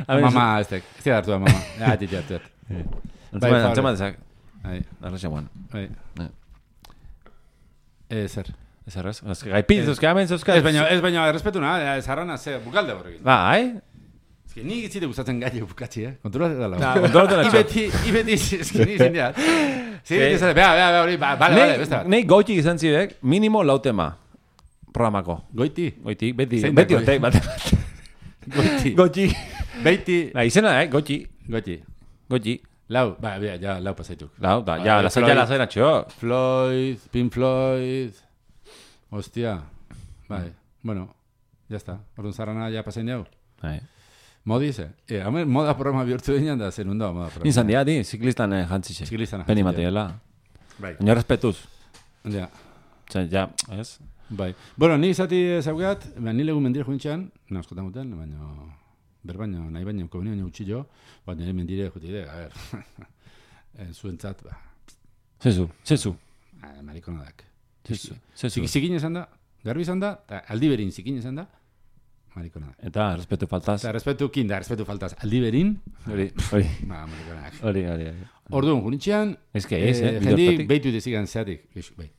Mama, ez tek. Ez da hartu da, mama. Atxite. Antzema dezak. Arraxa guan. Zer. Ez. Gaipit, zuzka, hemen, zuzka. Ez baina, errespetu na, zarrana, ze, bukalde horrekin. Bai. Ez que ni gitzite gustatzen gai bukatzi, Kontrolate da lau. Kontrolate da Ibeti, ez que ni zindiat. Bea, hori, bale, besta. Nei goitik izan zidek, minimo lautema. Programako. Goiti, beti otek, bate. Goiti. Beiti. Izena, goiti. Lau, ja, lau pasaituk. Lau, da, ja, lasai natxo. Floyd, Pink Floyd. Hostia. Bai, bueno, ya está. Orduan zarrana ja pasain diau. Bai. Modi ze. Hamen moda programa bihurtu dinan da zen unda moda programa. Nintzan dia, ziklistan jantzixe. Ziklistan jantzixe. Peni materiala. Bai. Baina respetuz. Ja. Ja, ez? Bai. Bueno, ni izati zaugat, ni legu mendire jointxean, naskotan guten, baina berbaino, nahi baino, kobini baino utxillo, baina nire mendire jutide, a ver, zuentzat, ba. Zezu. Marikonadak. Zezu. Zikin esan da, garbi esan da, eta aldi berin zikin esan da, marikonadak. Eta respetu faltaz. Eta respetu faltaz, aldi berin, hori. Ba, marikonadak. Hori. Orduan, junitxean, jendik behitu dezigan zeatik, bai.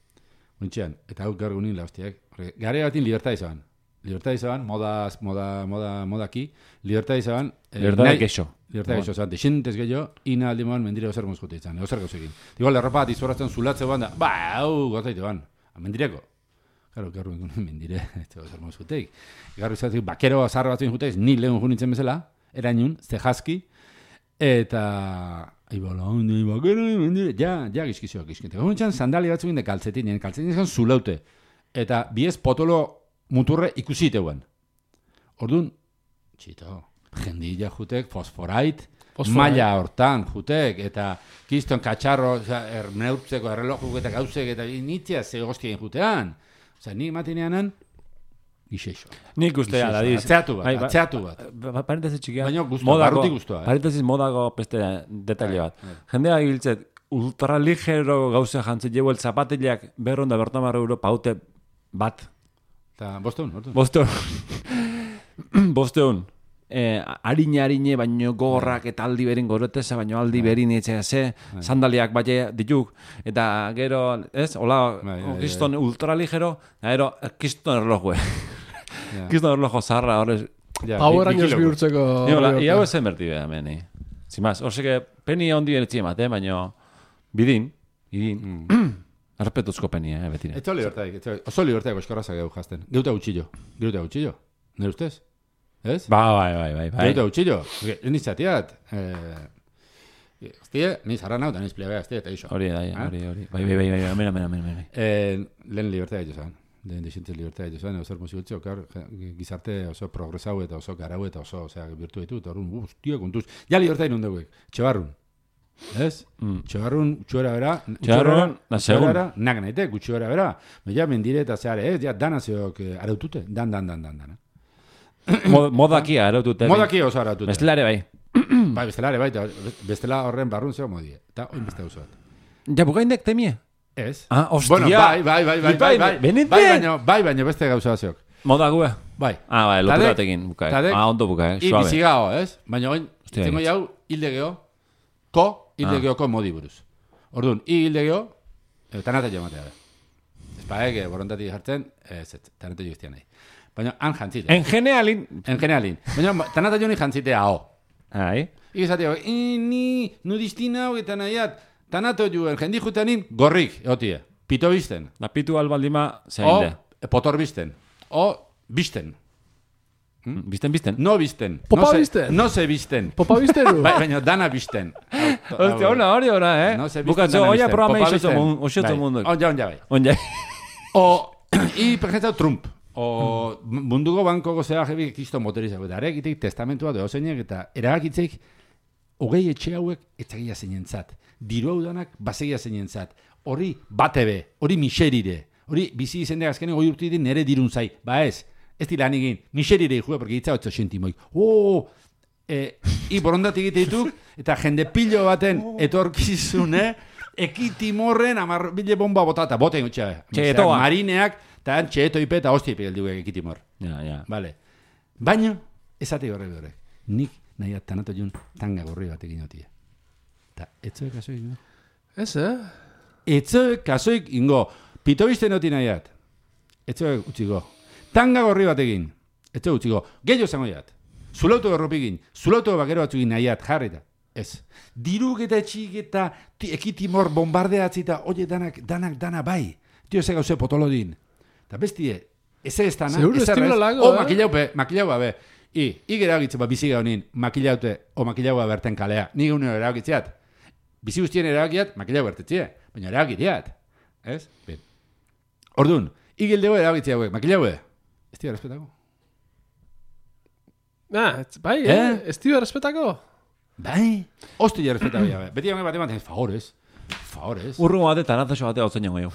Untxean, eta hau gaur gunin laustiak. Gare batin libertad izan. Libertad izan, modaki. Libertad izan. Libertad geixo. Libertad geixo, zan. Dexentez gehiago, ina aldi moan mendire ozer mozkute izan. Ozer gauzekin. Igual, erropa bat izorrazten zulatze ban da. Ba, hau, gotaitu ban. Mendireko. Garo, gaur gunin mendire. Ozer mozkuteik. Gaur izatik, bakero zarra batzuen juteiz, ni lehun junitzen bezala. Erainun, zehazki. Eta... Ja, gizkizioak. Gaunetxan, sandali batzuk inde kaltzetin izan zulaute. Eta biez potolo muturre ikusi iteuen. Orduan, txito, jendilla jutek, fosforait, maila hortan jutek, eta kiston katxarro, neurtzeko errelojuk eta gauzek, eta nitzia ze goztien jutean. Osa, ni matineanan, gixeixo. Nik ustea, ladiz. Atzeatu bat. Parentesi txikia. Baina guztua, barrutik guztua. Parentesis modago peste detalle bat. Jendea giltzet, ultraligero gauze jantzit jebu el zapatillak berronda bertamar euro paute bat. Eta bosteun. Bosteun. Harine, baino gogorrak eta aldi berin goroteza, baino aldi berin etxea ze, sandaliak baina dituk, eta gero, ez, hola, kiston ultraligero, gero, kiston erlojue. Kiston erlojo zarra, horrez. Power Rangers bihurtzeko... Iau ezen berti beha, meni. Zimaz, horzeke, peni ondi beretzi emate, baino, bidin, errepetuzko peni, betine. Etzo libertaik, oso libertaik oskorrazak gau jazten. Geuta gutxillo, nire ustez? Ez? Bai. Geuta gutxillo, nizatiat. Hostia, ni zarra nau, da niz plebea, hostia, eta iso. Hori. Bai, mena. Lehen libertaik jozan. Lehen dixentzez libertaik jozan, oso hermosigutxo, gizarte oso progresau eta oso garau eta oso, birtu ditut, horren, hostia, kontuz. Ja libertaik nun duguek, txebarrun. Ez? Txebarrun, txuera bera. Txebarrun, nasegun. Nak naite, gutxuera bera. Ja, mendire eta zeare, ez? Ja, danazioak arautute. Dan. Modakia arautute. Modaki oso arautute. Bestelare bai. Bai, bestelare bai. Bestela horren barrun zeo modie. Eta oin beste oso bat. Ja, bukaindek temie? Ez. Ah, ostia. Bueno, bai. Benite? Bai, baina beste gauza zeok. Modague? Bai. Bai, lotura batekin. Ondo bukae, suave. Ibisigao, ez? Baina oin, zengo jau, hilde geho, hilde geoko modi buruz. Orduan, igilde geho, tanate jo matea. Ez paek, borontatik jartzen, tanate jo iztian nahi. Baina, han jantzite. En generalin. Baina, tanate jo ni jantzite hau. Ai. Igizateo, ni nudistina hau eta nahiat, tanato juen, jendi jutanin, gorrik, egotie. Pito bizten. La pitu albaldima zein O, potor bizten. O, bizten. Bizten. No bizten. Popa bizten. No se bizten. Popa bizten. Baina, dana bizten. Hostia, hori, No se bizten. Bukatzo, oia programa isotu mundu. Onja, bai. Onja. O, per ejemplo, Trump. O, munduko banko gozea jebi kisto motorizako. Eta eragitik testamentua deo zeinek eta eragakitzeik hogei etxe hauek etzagia zeinentzat. Diru hau danak basegia zeinentzat. Hori batebe, hori miserire. Hori bizi izendek azkenen goi urtitin nere dirun zai. Ba ez dira egin, miserire ikue, porque hitza 8 sentimoik. Borondatik egite dituk, eta jende pilo baten etorkizune, ekitimorren bile bomba botata, boten gutxa. Txetoa. Marineak, eta txeto ipe eta hostia ipe geldiuek ekitimor. Ja. Vale. Baina, esate horrek. Nik nahiat tanato jun tanga gorri bat egin otie. Eta, etzoek kasoik ingo. Ez, Etzoek kasoik ingo. Pito bizten oti nahiat. Etzoek utziko. Tanga gorri bat egin. Etzoek utziko. Gehiago zango jat. Zulautu gorropigin. Zulautu bakero batzugin nahiat jarrita. Ez. Diruk eta etxik eta ekitimor bombardeatzita, oie dana bai. Tio ze gauze potolodin. Eta bestie, ez dana, seguro estilo lago, makilaupe, be. Igera agitzen biziga honin, makilaute o makilaua berten kalea. Ni uneo eragitzeat. Bizi guztien eragiat, makilau bertetzie. Baina eragiteat. Ez? Ben. Orduan, igildego eragitzea hauek, makilaue. Ez dira respetako? Bai, ez dira respetako? Bai. Ostia respetako jabe. Beti hauek bat ematen, favorez. Urrungo bate, tanazo bate hau zen jongo jau.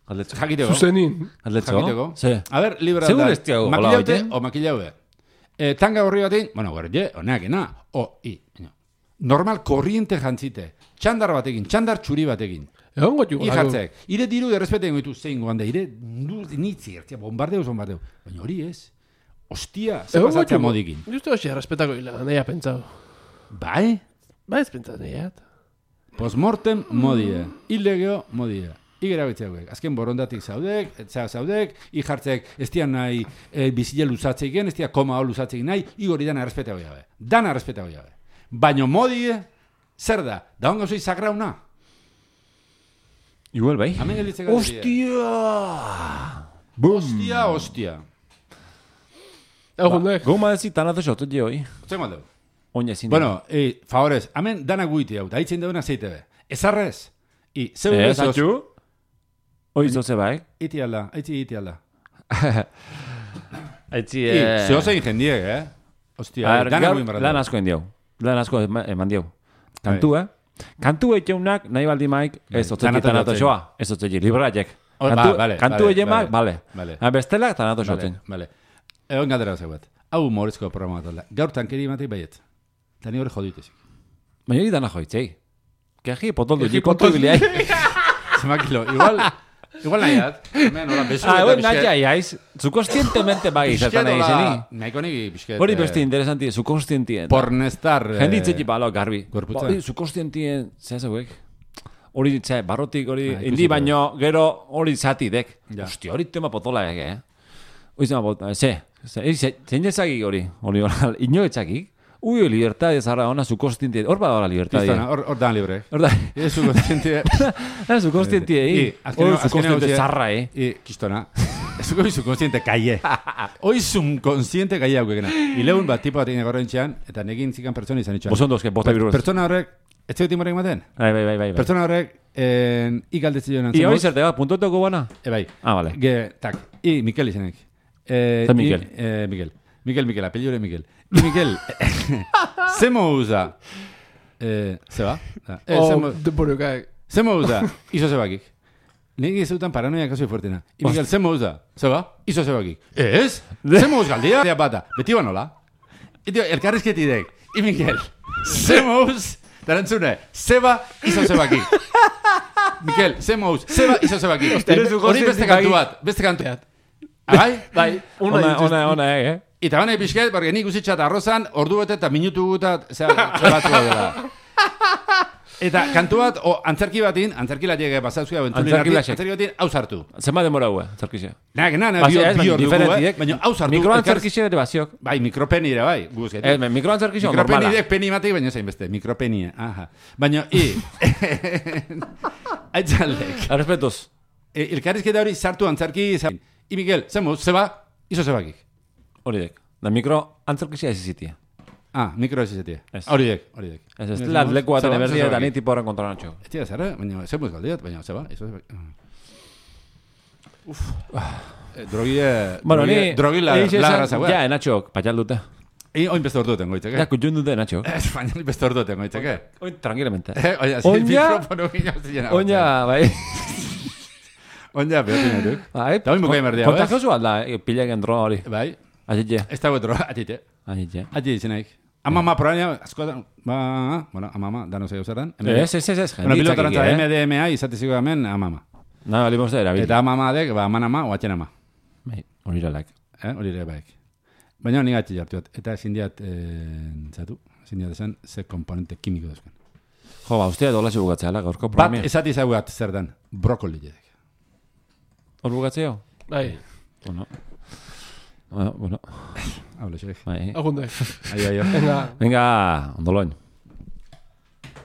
Jakiteko. Zuzenin. Jakiteko. Se. A ver, liberal. Segur ez tiago. Makilaute o makilaue. Tanga horri batein, bueno, gorje, oneakena. Normal korriente jantzite. Txandar batekin, txandar txuri batekin. Egon gotu. Ijartzek. Ire diru errespeten goitu zein goan da. Ire nitzi, bombardeo. Baina hori ez. Ostia, ze pasatzea modikin. Justo hoxe, errespetako hila, nahi pentsau. Bai? Bai ez pentsat nahiat. Postmortem modie. Illegeo modie. Igera betxeak. Azken borondatik zaudek, ijartzek ez dian nahi bizile luzatzeiken, ez dian koma hau luzatzeik nahi, igori dana errespetako jabe. Dana errespetako jabe. Baina modie, zer da? Da hongo zoi sagrauna? Igual bai. Ostia. Goma ezi tanazo xotot je hoi. Zer maldeu? Oina ezin. Bueno, favorez, hemen dana guiti hau, da hitzen deuna zeite be. Ezarrez. Ez atxu? Hoi zoze bai. Iti alda. Aitzi... Zehozein jendiek, Ostia, dana guin barra. Lan asko endiau. Lan asko eman diau. Kantu, Kantu etxeunak nahi baldi maik ez otzeki tanato joa. Ez otzeki, libraiek. Kantu etxeunak, bale. Bestela tanato joatzen. Bale. Egon galdera zeuet. Hau humorizko programa bat. Gaur tankeri matei baiet. Tani hori joditezik. Baina hori dana joitzei. Keji potoldu, jipotu biliai. Zemakilo, igual nahiat. Hemen, hola, besu eta bisket. Nahi aiz, zukostientemente bai zertan nahi zeni. Nahiko nigi bisket. Hori beste interesanti, zukostientien. Pornestar. Jenditzeki balo, garbi. Gorputza. Zukostientien, zehazauek. Hori ditze, barrotik hori, indi baino, gero hori zatidek. Ostia, hori tema potola ege, Hori zema potola, zein ezagik hori, inoetzakik. Ui, libertad zara ona zukostientie. Hor bada libertad. Hor dan libre. Hor da. Zukostientie. Zukostientie, zukostientie zarra, Kistona. Zukostiente kaie. Hoi subconsciente kaie haukegena. Ileun bat tipo bat egin gorrentxean, eta negin zikan pertsona izan itxan. Bosondozke, bota biruz. Pertsona horrek, ez zegoetin morek maten? Bai. Pertsona horrek, ikaldetzi joan antzimoz. I hori zerte, puntotoko bana? Bai. Vale. Tak, Mikel izanek. Mikel. Mikel, apelliore Mikel. Mikel, zemo usa. Zeba? Zemo usa, iso zebakik. Negi zeutan paranoia kasoi fuertena. Mikel, zemo usa. Zeba? Iso zebakik. Ez? Zemo us galdia? Bata, beti banola. Elkarrizketidek. Mikel, zemo us. Tarantzune, zeba, iso zebakik. Mikel, zemo us. Zeba, iso zebakik. Hori beste kantu bat. Beste kantu bat. Bai? Ona, Eta bane pixket, porque nik usitxat arrozan, ordu bete eta minutu guta, zera, batzu dela. Eta kantu bat, antzerki batin, antzerki latiek pasatzea Antzerki batin, hau sartu. Zenbat demora hue, antzerkixea? Bi hor dugu, baina hau sartu. Mikroantzerkixea ere baziok. Bai, mikropeni ere, bai. Mikroantzerkixea normala. Mikropeni peni matei, baina zain beste, mikropenia. Aha. Baina, aitzaldek. Arrespetuz. Elkarrizketa hori sartu antzerki, Miguel, zeba, iso zebakik. Horidek. Da mikroantzerkixea ez izitia. Mikro ez izatea. Horidek. Ez leku baten eberdia eta ni tipo horren kontrolan txo. Ez tira zara, baina zemuz galdiat, baina zeba. Drogila lagra zagoa. Ja, enatxok, patxal dute. Oin beste ordu tengo itzake. Ja, kutxun dute enatxok. Baina beste ordu tengo itzake. Oin, tranquilamente. Oina, bai. Oina, behotin eduk. Eta oin bukai merdea, bai? Kontakiozu alda, pilegen droga hori. Bai. Atitxe. Ez dago droga, atitxe. Atitxe izanaik. Amama proaina, askotan, amama, dano zei zertan. Ez. Bueno, pilotarantza MDMA izateziko hemen amama. Na, balimos da erabili. Eta amama dek, amanama, oatxen ama. Bai, hori iralaik. Hori ere baik. Baina honi gatzi jartu bat. Eta zindiat, zindiat esan, ze komponente kimiko duzken. Jo, ustea dolaz bugatzea, gaurko bat programia. esati zaugat zertan, brokoli jedek. Hor bugatzeo? Bai. Bueno. Hablo, xerek. Bai. Agunde. Aio. Venga, ondoloin.